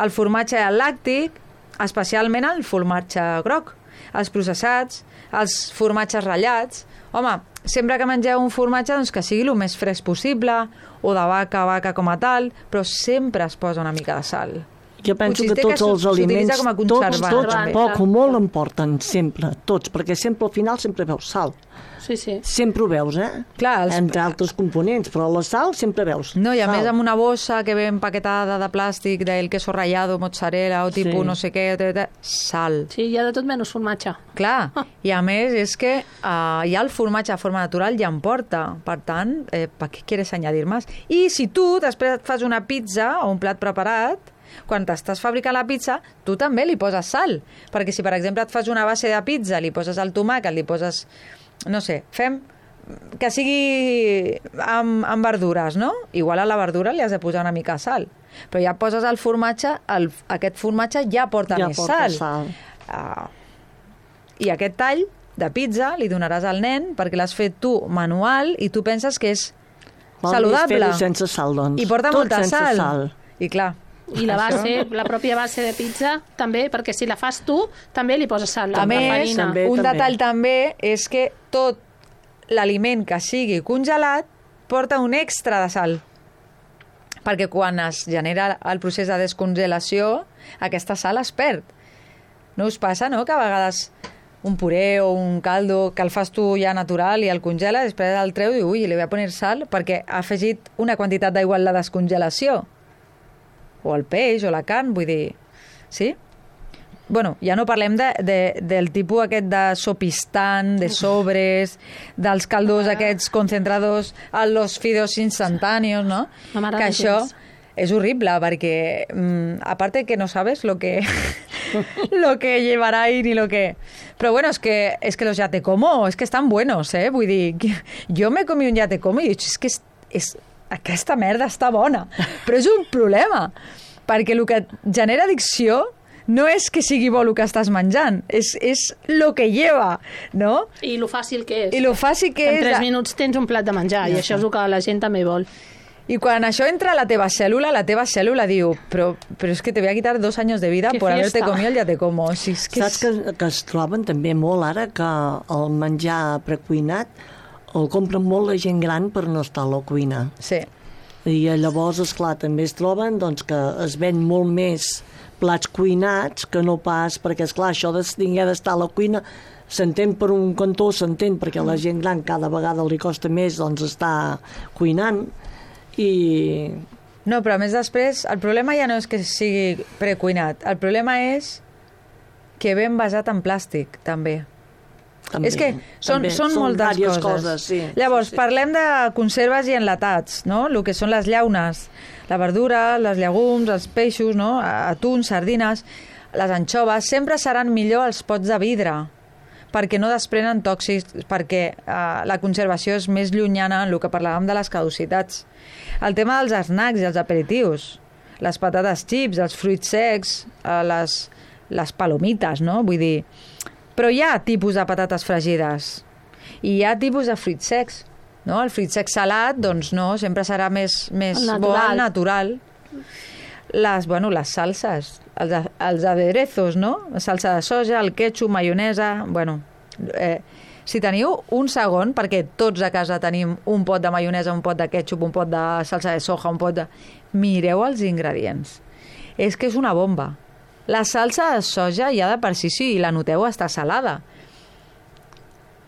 El formatge làctic, especialment el formatge groc, els processats, els formatges ratllats. Home, sempre que mengeu un formatge, doncs que sigui el més fresc possible, o de vaca a vaca com a tal, però sempre es posa una mica de sal. Jo penso que tots els aliments, tots, tots, poc o molt en porten, sempre, tots, perquè sempre al final sempre veus sal. Sí, sí. Sempre ho veus, eh? Clar, els... entre altres components, però la sal sempre veus. No, i a sal. més amb una bossa que ve empaquetada de plàstic del queso rallado, mozzarella o tipus Sí. no sé què, sal. Sí, hi ha de tot menys formatge. Clar, i a més és que uh, ja el formatge de forma natural ja en porta, per tant, eh, per què quieres añadir más? I si tu després et fas una pizza o un plat preparat, quan t'estàs fabricant la pizza, tu també li poses sal, perquè si per exemple et fas una base de pizza, li poses el tomàquet, li poses, no sé, fem que sigui amb, amb verdures, no? Igual a la verdura li has de posar una mica de sal, però ja poses el formatge, el, aquest formatge ja porta ja més porta sal. sal. Uh, I aquest tall de pizza li donaràs al nen perquè l'has fet tu manual i tu penses que és Val saludable. Fer-ho sense sal, doncs. I porta Tot molta sense sal. sal. I clar, I la base, la pròpia base de pizza també, perquè si la fas tu, també li poses sal. a la més, farina. també, un també. detall també és que tot l'aliment que sigui congelat porta un extra de sal. Perquè quan es genera el procés de descongelació, aquesta sal es perd. No us passa, no?, que a vegades un puré o un caldo que el fas tu ja natural i el congela, després el treu i diu, ui, li voy a poner sal perquè ha afegit una quantitat d'aigua en la descongelació. O el peix, o la carn, vull dir... Sí? Bueno, ja no parlem de, de, del tipus aquest de sopistant, de sobres, dels caldos aquests concentrados a los fideos instantáneos, ¿no? No m'agrada Que això gens. és horrible, perquè mm, aparte que no sabes lo que lo que llevará ahí ni lo que... Pero bueno, es que, es que los ya te como, es que están buenos, ¿eh? Vull dir, jo me comí un ya te como i he dit, és que és, és, aquesta merda està bona, però és un problema, perquè el que genera addicció no és que sigui bo el que estàs menjant, és, és lo que lleva, no? I lo fàcil que és. I lo fàcil que en és... tres minuts tens un plat de menjar, ja i això és el que la gent també vol. I quan això entra a la teva cèl·lula, la teva cèl·lula diu, però, però és que te voy a quitar dos años de vida Que por haberte fiesta. comido el ya te como. O sigui, és que Saps que, que es troben també molt ara que el menjar precuinat el compren molt la gent gran per no estar a la cuina. Sí. I llavors, esclar, també es troben doncs, que es ven molt més plats cuinats que no pas, perquè, esclar, això de tinguer d'estar a la cuina s'entén per un cantó, s'entén perquè a la gent gran cada vegada li costa més doncs, estar cuinant i... No, però a més després, el problema ja no és que sigui precuinat, el problema és que ve envasat en plàstic, també. També, és que són, també. són moltes diverses coses. coses sí. Llavors, sí, sí. parlem de conserves i enlatats, no? El que són les llaunes, la verdura, les llegums, els peixos, no? Atuns, sardines, les anxoves, sempre seran millor els pots de vidre, perquè no desprenen tòxics, perquè eh, la conservació és més llunyana en el que parlàvem de les caducitats. El tema dels snacks i els aperitius, les patates xips, els fruits secs, eh, les, les palomites, no? Vull dir... Però hi ha tipus de patates fregides i hi ha tipus de fruits secs, no? El fruit sec salat, doncs no, sempre serà més, més bo al natural. Les, bueno, les salses, els, els aderezos, no? La salsa de soja, el ketchup, maionesa... Bueno, eh, si teniu un segon, perquè tots a casa tenim un pot de maionesa, un pot de ketchup, un pot de salsa de soja, un pot de... Mireu els ingredients. És que és una bomba. La salsa de soja ja de per si, si la noteu, està salada.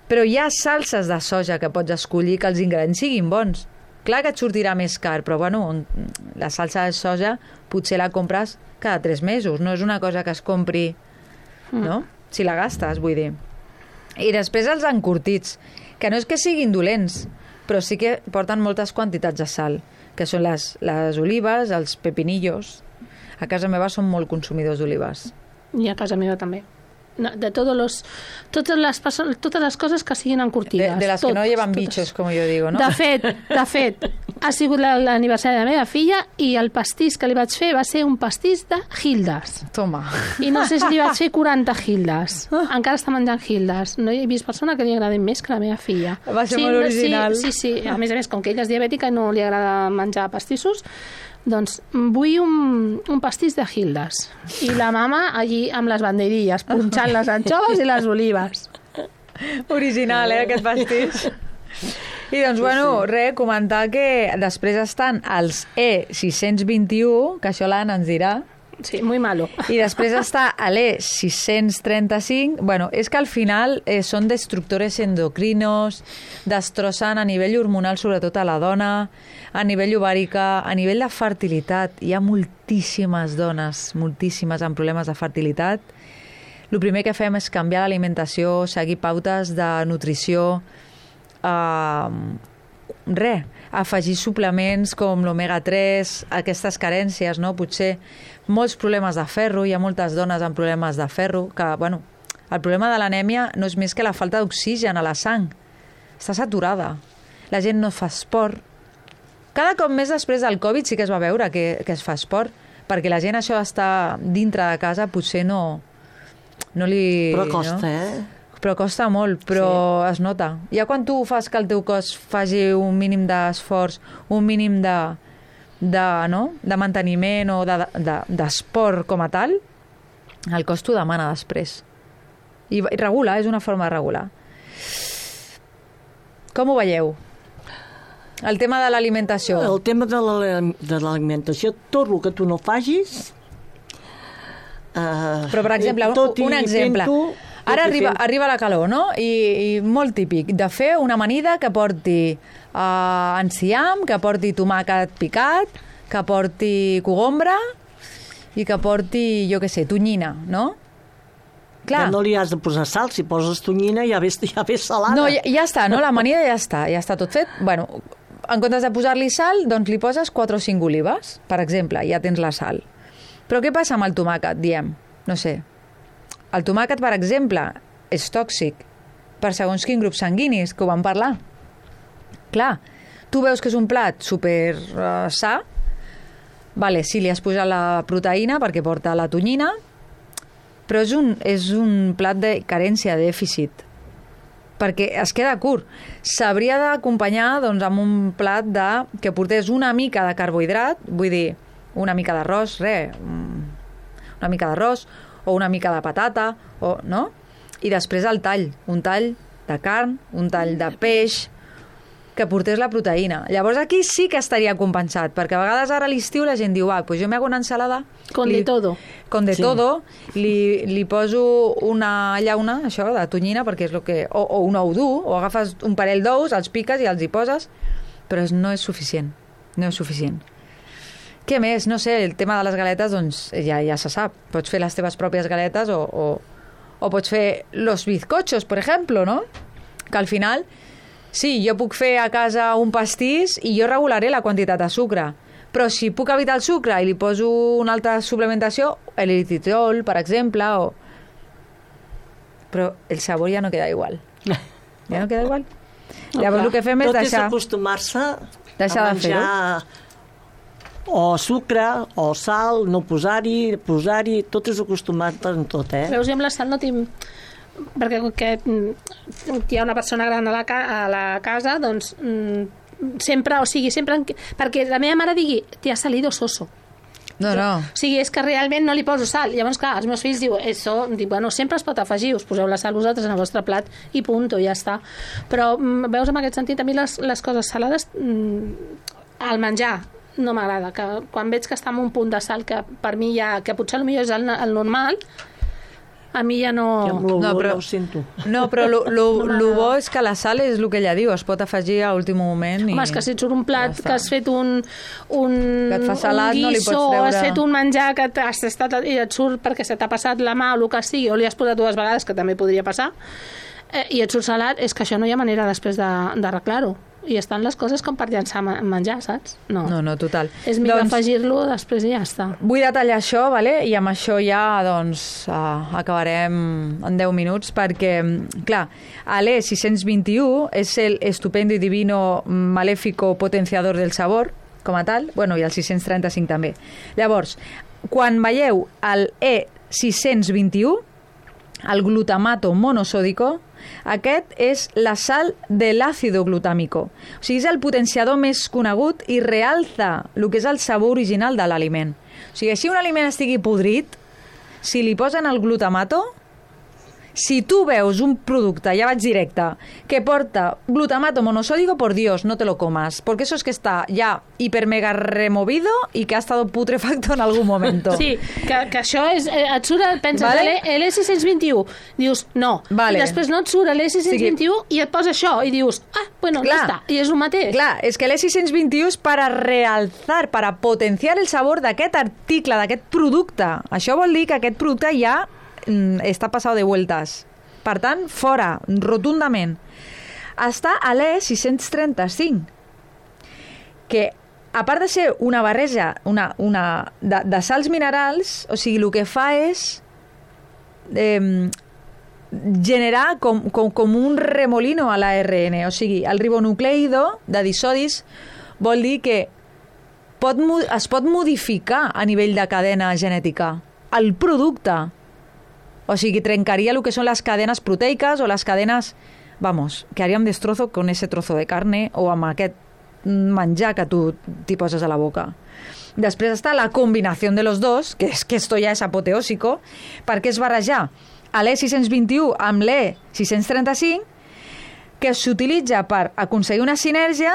Però hi ha salses de soja que pots escollir que els ingredients siguin bons. Clar que et sortirà més car, però bueno, la salsa de soja potser la compres cada tres mesos. No és una cosa que es compri, no? Si la gastes, vull dir. I després els encurtits, que no és que siguin dolents, però sí que porten moltes quantitats de sal, que són les, les olives, els pepinillos. A casa meva som molt consumidors d'olives. I a casa meva també. No, de todos los, totes, les, totes les coses que siguin encurtides. De, de les tot, que no llevan totes. bichos, com jo digo, no? De fet, de fet, ha sigut l'aniversari de la meva filla i el pastís que li vaig fer va ser un pastís de Hildes. Toma. I no sé si li vaig fer quaranta Hildes. Encara està menjant Hildes. No he vist persona que li agradi més que la meva filla. Va ser sí, molt original. Sí, sí, sí. A més a més, com que ella és diabètica i no li agrada menjar pastissos, doncs vull un, un pastís de Hildes. I la mama allí amb les banderilles, punxant les anxoves i les olives. Original, eh, aquest pastís. I doncs, bueno, res, comentar que després estan els E sis cents vint-i-u, que això l'Anna ens dirà. Sí, muy malo. I després està l'E sis cents trenta-cinc. Bueno, és que al final eh, són destructores endocrinos, destrossen a nivell hormonal, sobretot a la dona, a nivell ovàrica, a nivell de fertilitat. Hi ha moltíssimes dones, moltíssimes amb problemes de fertilitat. El primer que fem és canviar l'alimentació, seguir pautes de nutrició, eh, res, afegir suplements com l'omega tres, aquestes carències, no? Potser molts problemes de ferro, hi ha moltes dones amb problemes de ferro, que, bueno, el problema de l'anèmia no és més que la falta d'oxigen a la sang. Està saturada. La gent no fa esport. Cada cop més després del Covid sí que es va veure que, que es fa esport, perquè la gent això d'estar dintre de casa potser no, no li... Però costa, no? eh? Però costa molt, però sí. Es nota. Ja quan tu fas que el teu cos faci un mínim d'esforç, un mínim de, de, no? de manteniment o d'esport de, de, com a tal, el cos t'ho demana després. I, I regula, és una forma de regular. Com ho veieu? El tema de l'alimentació. El tema de l'alimentació, tot el que tu no facis... Uh, però, per exemple, un, un exemple... Pinto, Ara arriba, arriba la calor, no? I, I molt típic, de fer una amanida que porti uh, enciam, que porti tomàquet picat, que porti cogombra i que porti, jo què sé, tonyina, no? Clar. Ja no li has de posar sal, si poses tonyina ja ve, ja ve salada. No, ja, ja està, no? L'amanida ja està, ja està tot fet. Bueno, en comptes de posar-li sal, doncs li poses quatre o cinc olives, per exemple, ja tens la sal. Però què passa amb el tomàquet, diem? No sé. El tomàquet, per exemple, és tòxic per segons quin grup sanguinis, que ho vam parlar. Clar, tu veus que és un plat super uh, sa, vale, sí, li has posat la proteïna perquè porta la tonyina, però és un, és un plat de carència, de dèficit, perquè es queda curt. S'hauria d'acompanyar doncs, amb un plat de, que portés una mica de carbohidrat, vull dir, una mica d'arròs, res, una mica d'arròs, o una mica de patata, o, no? I després el tall, un tall de carn, un tall de peix, que portés la proteïna. Llavors aquí sí que estaria compensat, perquè a vegades ara a l'estiu la gent diu, ah, pues jo me hago una ensalada... Con li, de todo. Con de sí. todo, li, li poso una llauna, això, de tonyina, perquè és el que... O, o un ou dur, o agafes un parell d'ous, els piques i els hi poses, però no és suficient, no és suficient. Què més? No sé, el tema de les galetes, doncs ja, ja se sap. Pots fer les teves pròpies galetes o, o, o pots fer los bizcochos, per exemple, no? Que al final, sí, jo puc fer a casa un pastís i jo regularé la quantitat de sucre. Però si puc evitar el sucre i li poso una altra suplementació, l'eritritol, per exemple, o... però el sabor ja no queda igual. Ja no queda igual. No, llavors clar, el que fem és tot deixar... Tot és acostumar-se deixar a menjar... o sucre, o sal, no posar-hi, posar-hi, tot és acostumat en tot, eh? Veus, jo amb la sal no tinc... Perquè que hi ha una persona gran a la, ca... a la casa, doncs sempre, o sigui, sempre... Perquè la meva mare digui, t'hi ha salido soso. No, no. O sigui, és que realment no li poso sal. Llavors, clar, els meus fills diuen, això, dic, bueno, sempre es pot afegir, us poseu la sal vosaltres en el vostre plat i punt, ja està. Però, veus, en aquest sentit, a mi les, les coses salades, al menjar, no m'agrada, que quan veig que està en un punt de sal que per mi ja, que potser potser és el, el normal, a mi ja no... Ja amb l'olor No, però- no ho sento. No, però lo, lo, lo bo és que la sal és el que ella diu, es pot afegir a últim moment. I... Home, és que si et surt un plat ja està. que has fet un, un, Que et fa salat, un no li guiso, pots treure- has fet un menjar que t'has estat, i et surt perquè se t'ha passat la mà o el que sigui, o li has posat dues vegades, que també podria passar, eh, i et surt salat, és que això no hi ha manera després de- d'arreglar-ho. I estan les coses com per llançar ma- menjar, saps? No, No, no, total. és millor Doncs- afegir-lo després i ja està. Vull detallar això, vale? I amb això ja doncs, uh, acabarem en deu minuts, perquè, clar, l'E sis cents vint-i-u és el estupendo i divino maléfico potenciador del sabor, com a tal, bueno, i el sis cents trenta-cinc també. Llavors, quan veieu el E sis cents vint-i-u, el glutamato monosòdico, aquest és la sal de l'àcido glutàmico. O sigui, és el potenciador més conegut i realça el que és el sabor original de l'aliment. O sigui, si un aliment estigui podrit, si li posen el glutamato, si tu veus un producte, ja vaig directe, que porta glutamato monosódico, por Dios, no te lo comas, porque eso es que está ya hiper mega removido y que ha estado putrefacto en algún momento. Sí, que, que això és... Eh, et surt, penses, Vale. vale. l'E sis cents vint-i-u, dius, no. Vale. I després no et surt l'E sis cents vint-i-u i et posa això, i dius, ah, bueno, Clar. ja està, i és el mateix. Clar, és que l'E sis cents vint-i-u és per a realçar, per a potenciar el sabor d'aquest article, d'aquest producte. Això vol dir que aquest producte ja mm, està passat de vueltas. Per tant, fora, rotundament. Està a l'E sis cents trenta-cinc, que a part de ser una barreja una, una, de, de sals minerals, o sigui, el que fa és eh, generar com, com, com un remolino a l'A R N, o sigui, el ribonucleido de disodis vol dir que pot, es pot modificar a nivell de cadena genètica el producte, o sigui, trencaria el que són les cadenes proteicas o les cadenes, vamos, que haríem destrozo con ese trozo de carne o amb aquest menjar que tu t'hi poses a la boca. Després està la combinació de los dos, que és que esto ja és apoteòsico, perquè és barrejar l'E sis cents vint-i-u amb l'E sis cents trenta-cinc, que s'utilitza per aconseguir una sinergia,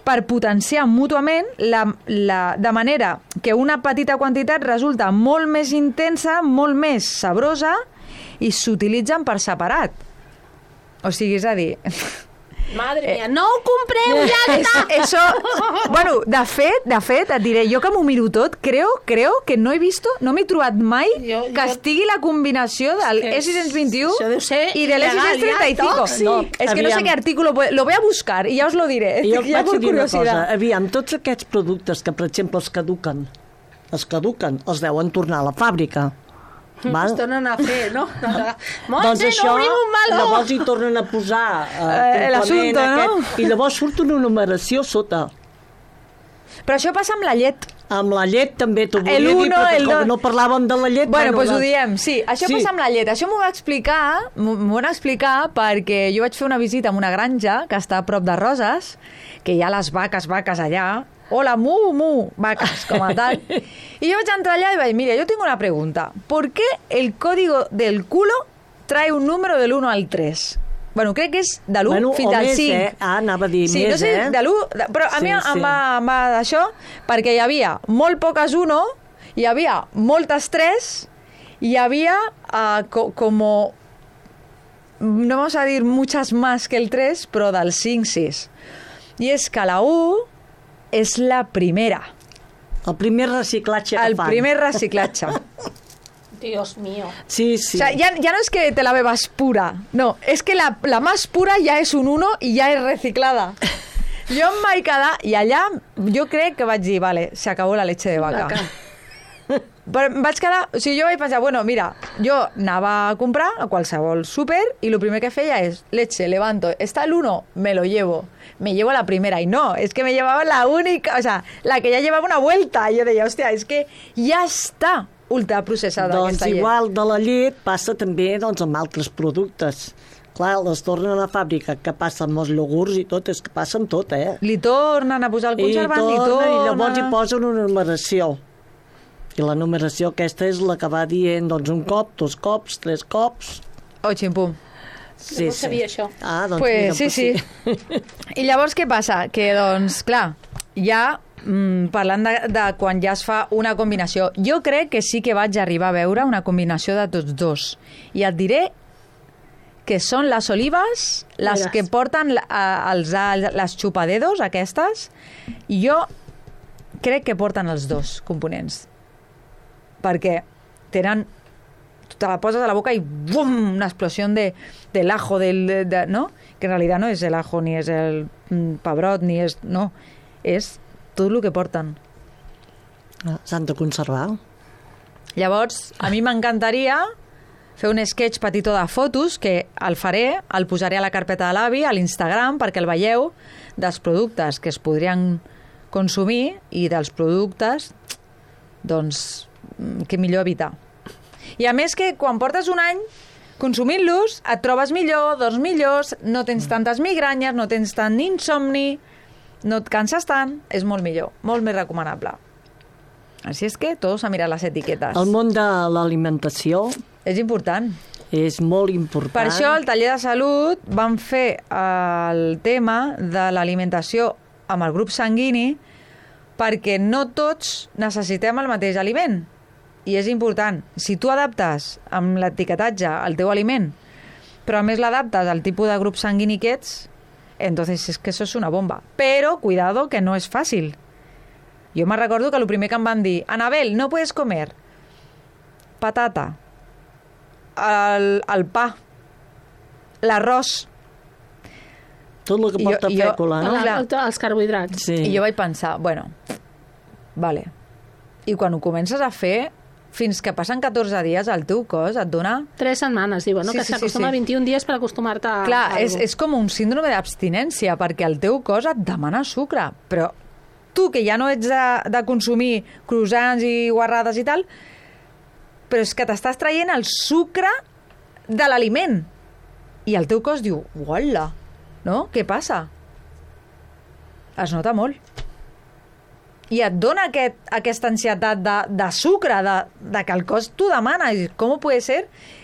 per potenciar mútuament la, la, de manera que una petita quantitat resulta molt més intensa, molt més sabrosa, i s'utilitzen per separat. O sigui, és a dir... Madre mia, no ho compreu, ja està! Eso, bueno, de fet, de fet, et diré, jo que m'ho miro tot, creo, creo que no he visto, no m'he trobat mai Jo- que jo- estigui la combinació del És que E sis cents vint-i-u això deu ser i de l'E sis cents il·legal, ja, trenta-cinc. tòxic. No, és que no sé Aviam. qué artículo, lo voy a buscar i ja us lo diré. Jo ja vaig por dir una curiosidad. cosa. Aviam, tots aquests productes que, per exemple, es caduquen, es caduquen, els deuen tornar a la fàbrica. Val? Es tornen a fer, no? Montse, Doncs això, no obrim un meló! llavors hi tornen a posar eh, Eh, l'assumpte, complement no? I llavors surt una numeració sota. Però això passa amb la llet. Amb la llet també t'ho volia El dir, uno, perquè el com dos. no parlàvem de la llet... Bueno, doncs la- ho diem, sí. Això Sí. passa amb la llet. Això m'ho va explicar, m'ho m'ho van explicar perquè jo vaig fer una visita a una granja que està a prop de Roses, que hi ha les vaques, vaques allà. Hola, mu, mu, vaques, com a tal. I jo vaig entrar allà i vaig, mira, yo tengo una pregunta. ¿Por qué el código del culo trae un número del uno al tres? Bueno, crec que és de l'u Bueno, fins o al més, cinc. eh? Ah, anava a dir sí, més, no sé, eh? de l'u... de- Però a Sí, mi em sí. va, em va d'això, perquè hi havia molt poques uno, hi havia moltes tres, hi havia uh, co como... No vamos a dir muchas más que el tres, però del cinc, sis. I és que la u és la primera, El primer reciclatge que el fan. primer reciclatge. Dios mío. Sí, sí. O sea, ya, ya no es que te la bebas pura, no, es que la, la más pura ya es un uno y ya es reciclada. Jo em vaig quedar, i allà jo crec que vaig dir, vale, se acabó la leche de vaca. Vaca. Però em vaig quedar, o sigui, jo vaig pensar, bueno, mira, jo anava a comprar a qualsevol súper i el primer que feia és, leche, levanto, está el uno, me lo llevo. Me llevo la primera, y no, es que me llevaba la única, o sea, la que ya llevaba una vuelta. I jo deia, hòstia, és que ja està ultraprocessada Doncs aquesta llet. igual de la llet passa també doncs, amb altres productes. Clar, les tornen a la fàbrica, que passa amb els iogurts i tot, és que passa amb tot, eh? Li tornen a posar el conservant, I, li torna, tornen... I llavors hi posen una numeració. I la numeració aquesta és la que va dient doncs, un cop, dos cops, tres cops... Oh, ximpum. Sí, No sabia això. Ah, doncs Pues, mira, sí, pues sí. I llavors què passa? Que, doncs, clar, ja mm, parlant de, de quan ja es fa una combinació. Jo crec que sí que vaig arribar a veure una combinació de tots dos. I et diré que són les olives, les Veràs. que porten a, els, a, les xupadedos, aquestes, i jo crec que porten els dos components. Perquè tenen... te la poses a la boca i ¡bum! Una explosión de, del ajo, del, de, de, ¿no? Que en realidad no es el ajo, ni es el mm, pebrot, ni és... No, és tot el que porten. S'han de conservar. Llavors, a mi m'encantaria fer un sketch petitó de fotos, que el faré, el posaré a la carpeta de l'avi, a l'Instagram, perquè el veieu, dels productes que es podrien consumir i dels productes, doncs, que millor evitar. I a més que quan portes un any consumint-los et trobes millor, dors millors, no tens tantes migranyes, no tens tant insomni, no et canses tant, és molt millor, molt més recomanable. Així és que tots a mirar les etiquetes. El món de l'alimentació És important. és molt important. Per això al taller de salut vam fer el tema de l'alimentació amb el grup sanguini, perquè no tots necessitem el mateix aliment. I és important. Si tu adaptes amb l'etiquetatge el teu aliment, però a més l'adaptes al tipus de grup sanguini que ets, entonces es que eso es una bomba. Però, cuidado, que no és fàcil. Jo me recordo que el primer que em van dir, Anabel, no puedes comer patata, el, el pa, l'arròs. Tot el que porta Jo- jo- fècula, no? clar. El, els carbohidrats. Sí. I jo vaig pensar, bueno, vale. I quan ho comences a fer, fins que passen catorze dies, el teu cos et dona... Tres setmanes, diuen, no? Sí, que sí, sí, s'acostuma sí. a vint-i-un dies per acostumar-te a... Clar, a és, algo. és com un síndrome d'abstinència, perquè el teu cos et demana sucre, però tu, que ja no ets de, de consumir croissants i guarrades i tal, però és que t'estàs traient el sucre de l'aliment. I el teu cos diu, uala, no? Què passa? Es nota molt. I et dona aquest, aquesta ansietat de, de sucre, de, de que el cos t'ho demana. I com pot ser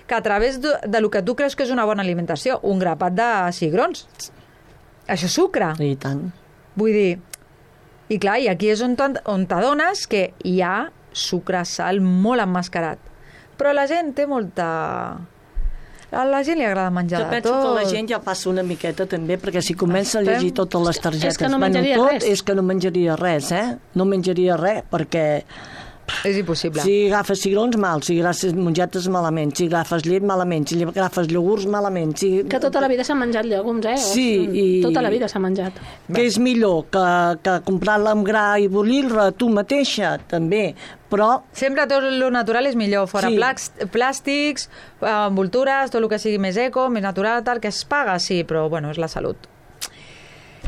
que a través de, de lo que tu creus que és una bona alimentació, un grapat de cigrons, això és sucre. I tant. Vull dir, i clar, i aquí és on, t'on- on t'adones que hi ha sucre, sal molt emmascarat. Però la gent té molta... A la gent li agrada menjar Jo de penso tot. que la gent ja passa una miqueta també, perquè si comença a llegir totes les targetes, És que no bueno, menjaria tot, res. és que no menjaria res, eh? No menjaria res, perquè És impossible. si agafes cigrons, mal, si agafes mongetes, malament, si agafes llet, malament, si agafes iogurts, malament. Si... Que tota la vida s'han menjat llegums, eh? Sí, Mm, i- Tota la vida s'ha menjat. Que és millor que, que comprar-la amb gra i bullir-la tu mateixa, també, però Sempre tot lo natural és millor, fora Sí. placs, plàstics, eh, envoltures, tot el que sigui més eco, més natural, tal, que es paga, sí, però bueno, és la salut.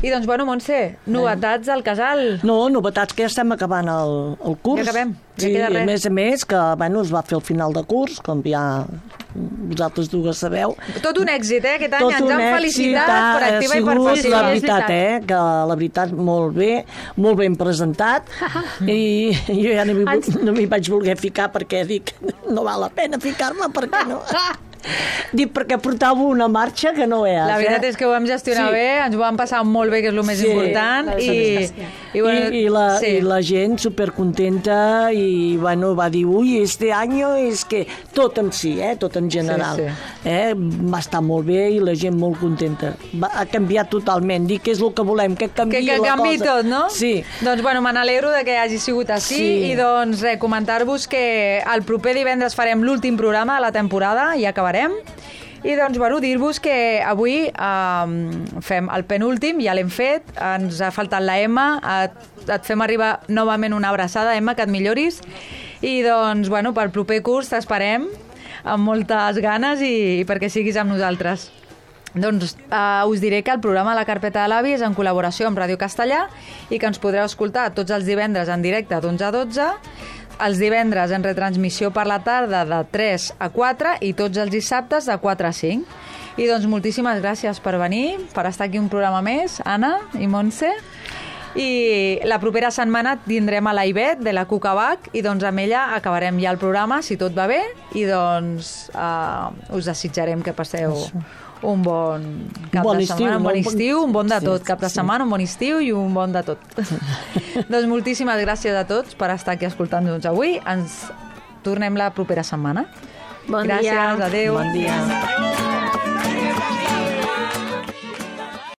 I doncs, bueno, Montse, novetats al casal. no, novetats que ja estem acabant el, el curs. Ja acabem, ja sí, queda res. a més a més, que bueno, es va fer el final de curs, com ja vosaltres dues sabeu. Tot un èxit, eh? Aquest any Tot ens un han èxit, felicitat ha per activa i per sigut, passiva. la és veritat, veritat. eh? Que la veritat, molt bé, molt ben presentat, i jo ja no m'hi Ens- no m'hi vaig voler ficar perquè dic, no val la pena ficar-me, perquè no... Dic, perquè portava una marxa que no veus, La veritat eh? és que ho vam gestionar Sí. bé, ens ho vam passar molt bé, que és el més Sí. important. I, I, bueno, I, la, sí. I la gent supercontenta i bueno, va dir, ui, este año és que tot en si, eh? Tot en general. Sí, Eh? Va estar molt bé i la gent molt contenta. Va, ha canviat totalment. Dic que és el que volem, que canvi Que, que la canvi cosa. tot, no? Sí. Doncs, bueno, me n'alegro de que hagi sigut així Sí. i, doncs, res, comentar-vos que el proper divendres farem l'últim programa de la temporada i acabarem. I, doncs, bueno, dir-vos que avui eh, fem el penúltim, ja l'hem fet, ens ha faltat la Emma, et, et fem arribar novament una abraçada, Emma, que et milloris. I, doncs, bueno, pel proper curs t'esperem amb moltes ganes i, i perquè siguis amb nosaltres. Doncs eh, us diré que el programa La Carpeta de l'Avi és en col·laboració amb Ràdio Castellà i que ens podreu escoltar tots els divendres en directe d'onze a dotze, els divendres en retransmissió per la tarda de tres a quatre i tots els dissabtes de quatre a cinc. I doncs moltíssimes gràcies per venir, per estar aquí un programa més, Anna i Montse. I la propera setmana tindrem a la Ivet de la Cucabac i doncs amb ella acabarem ja el programa, si tot va bé, i doncs eh, us desitjarem que passeu un bon cap bon de estiu, setmana, un bon no? estiu, un bon de Sí, tot, cap de sí. setmana, un bon estiu i un bon de tot. Doncs moltíssimes gràcies a tots per estar aquí escoltant-nos avui. Ens tornem la propera setmana. Bon Gràcies, dia. adeu. Bon dia.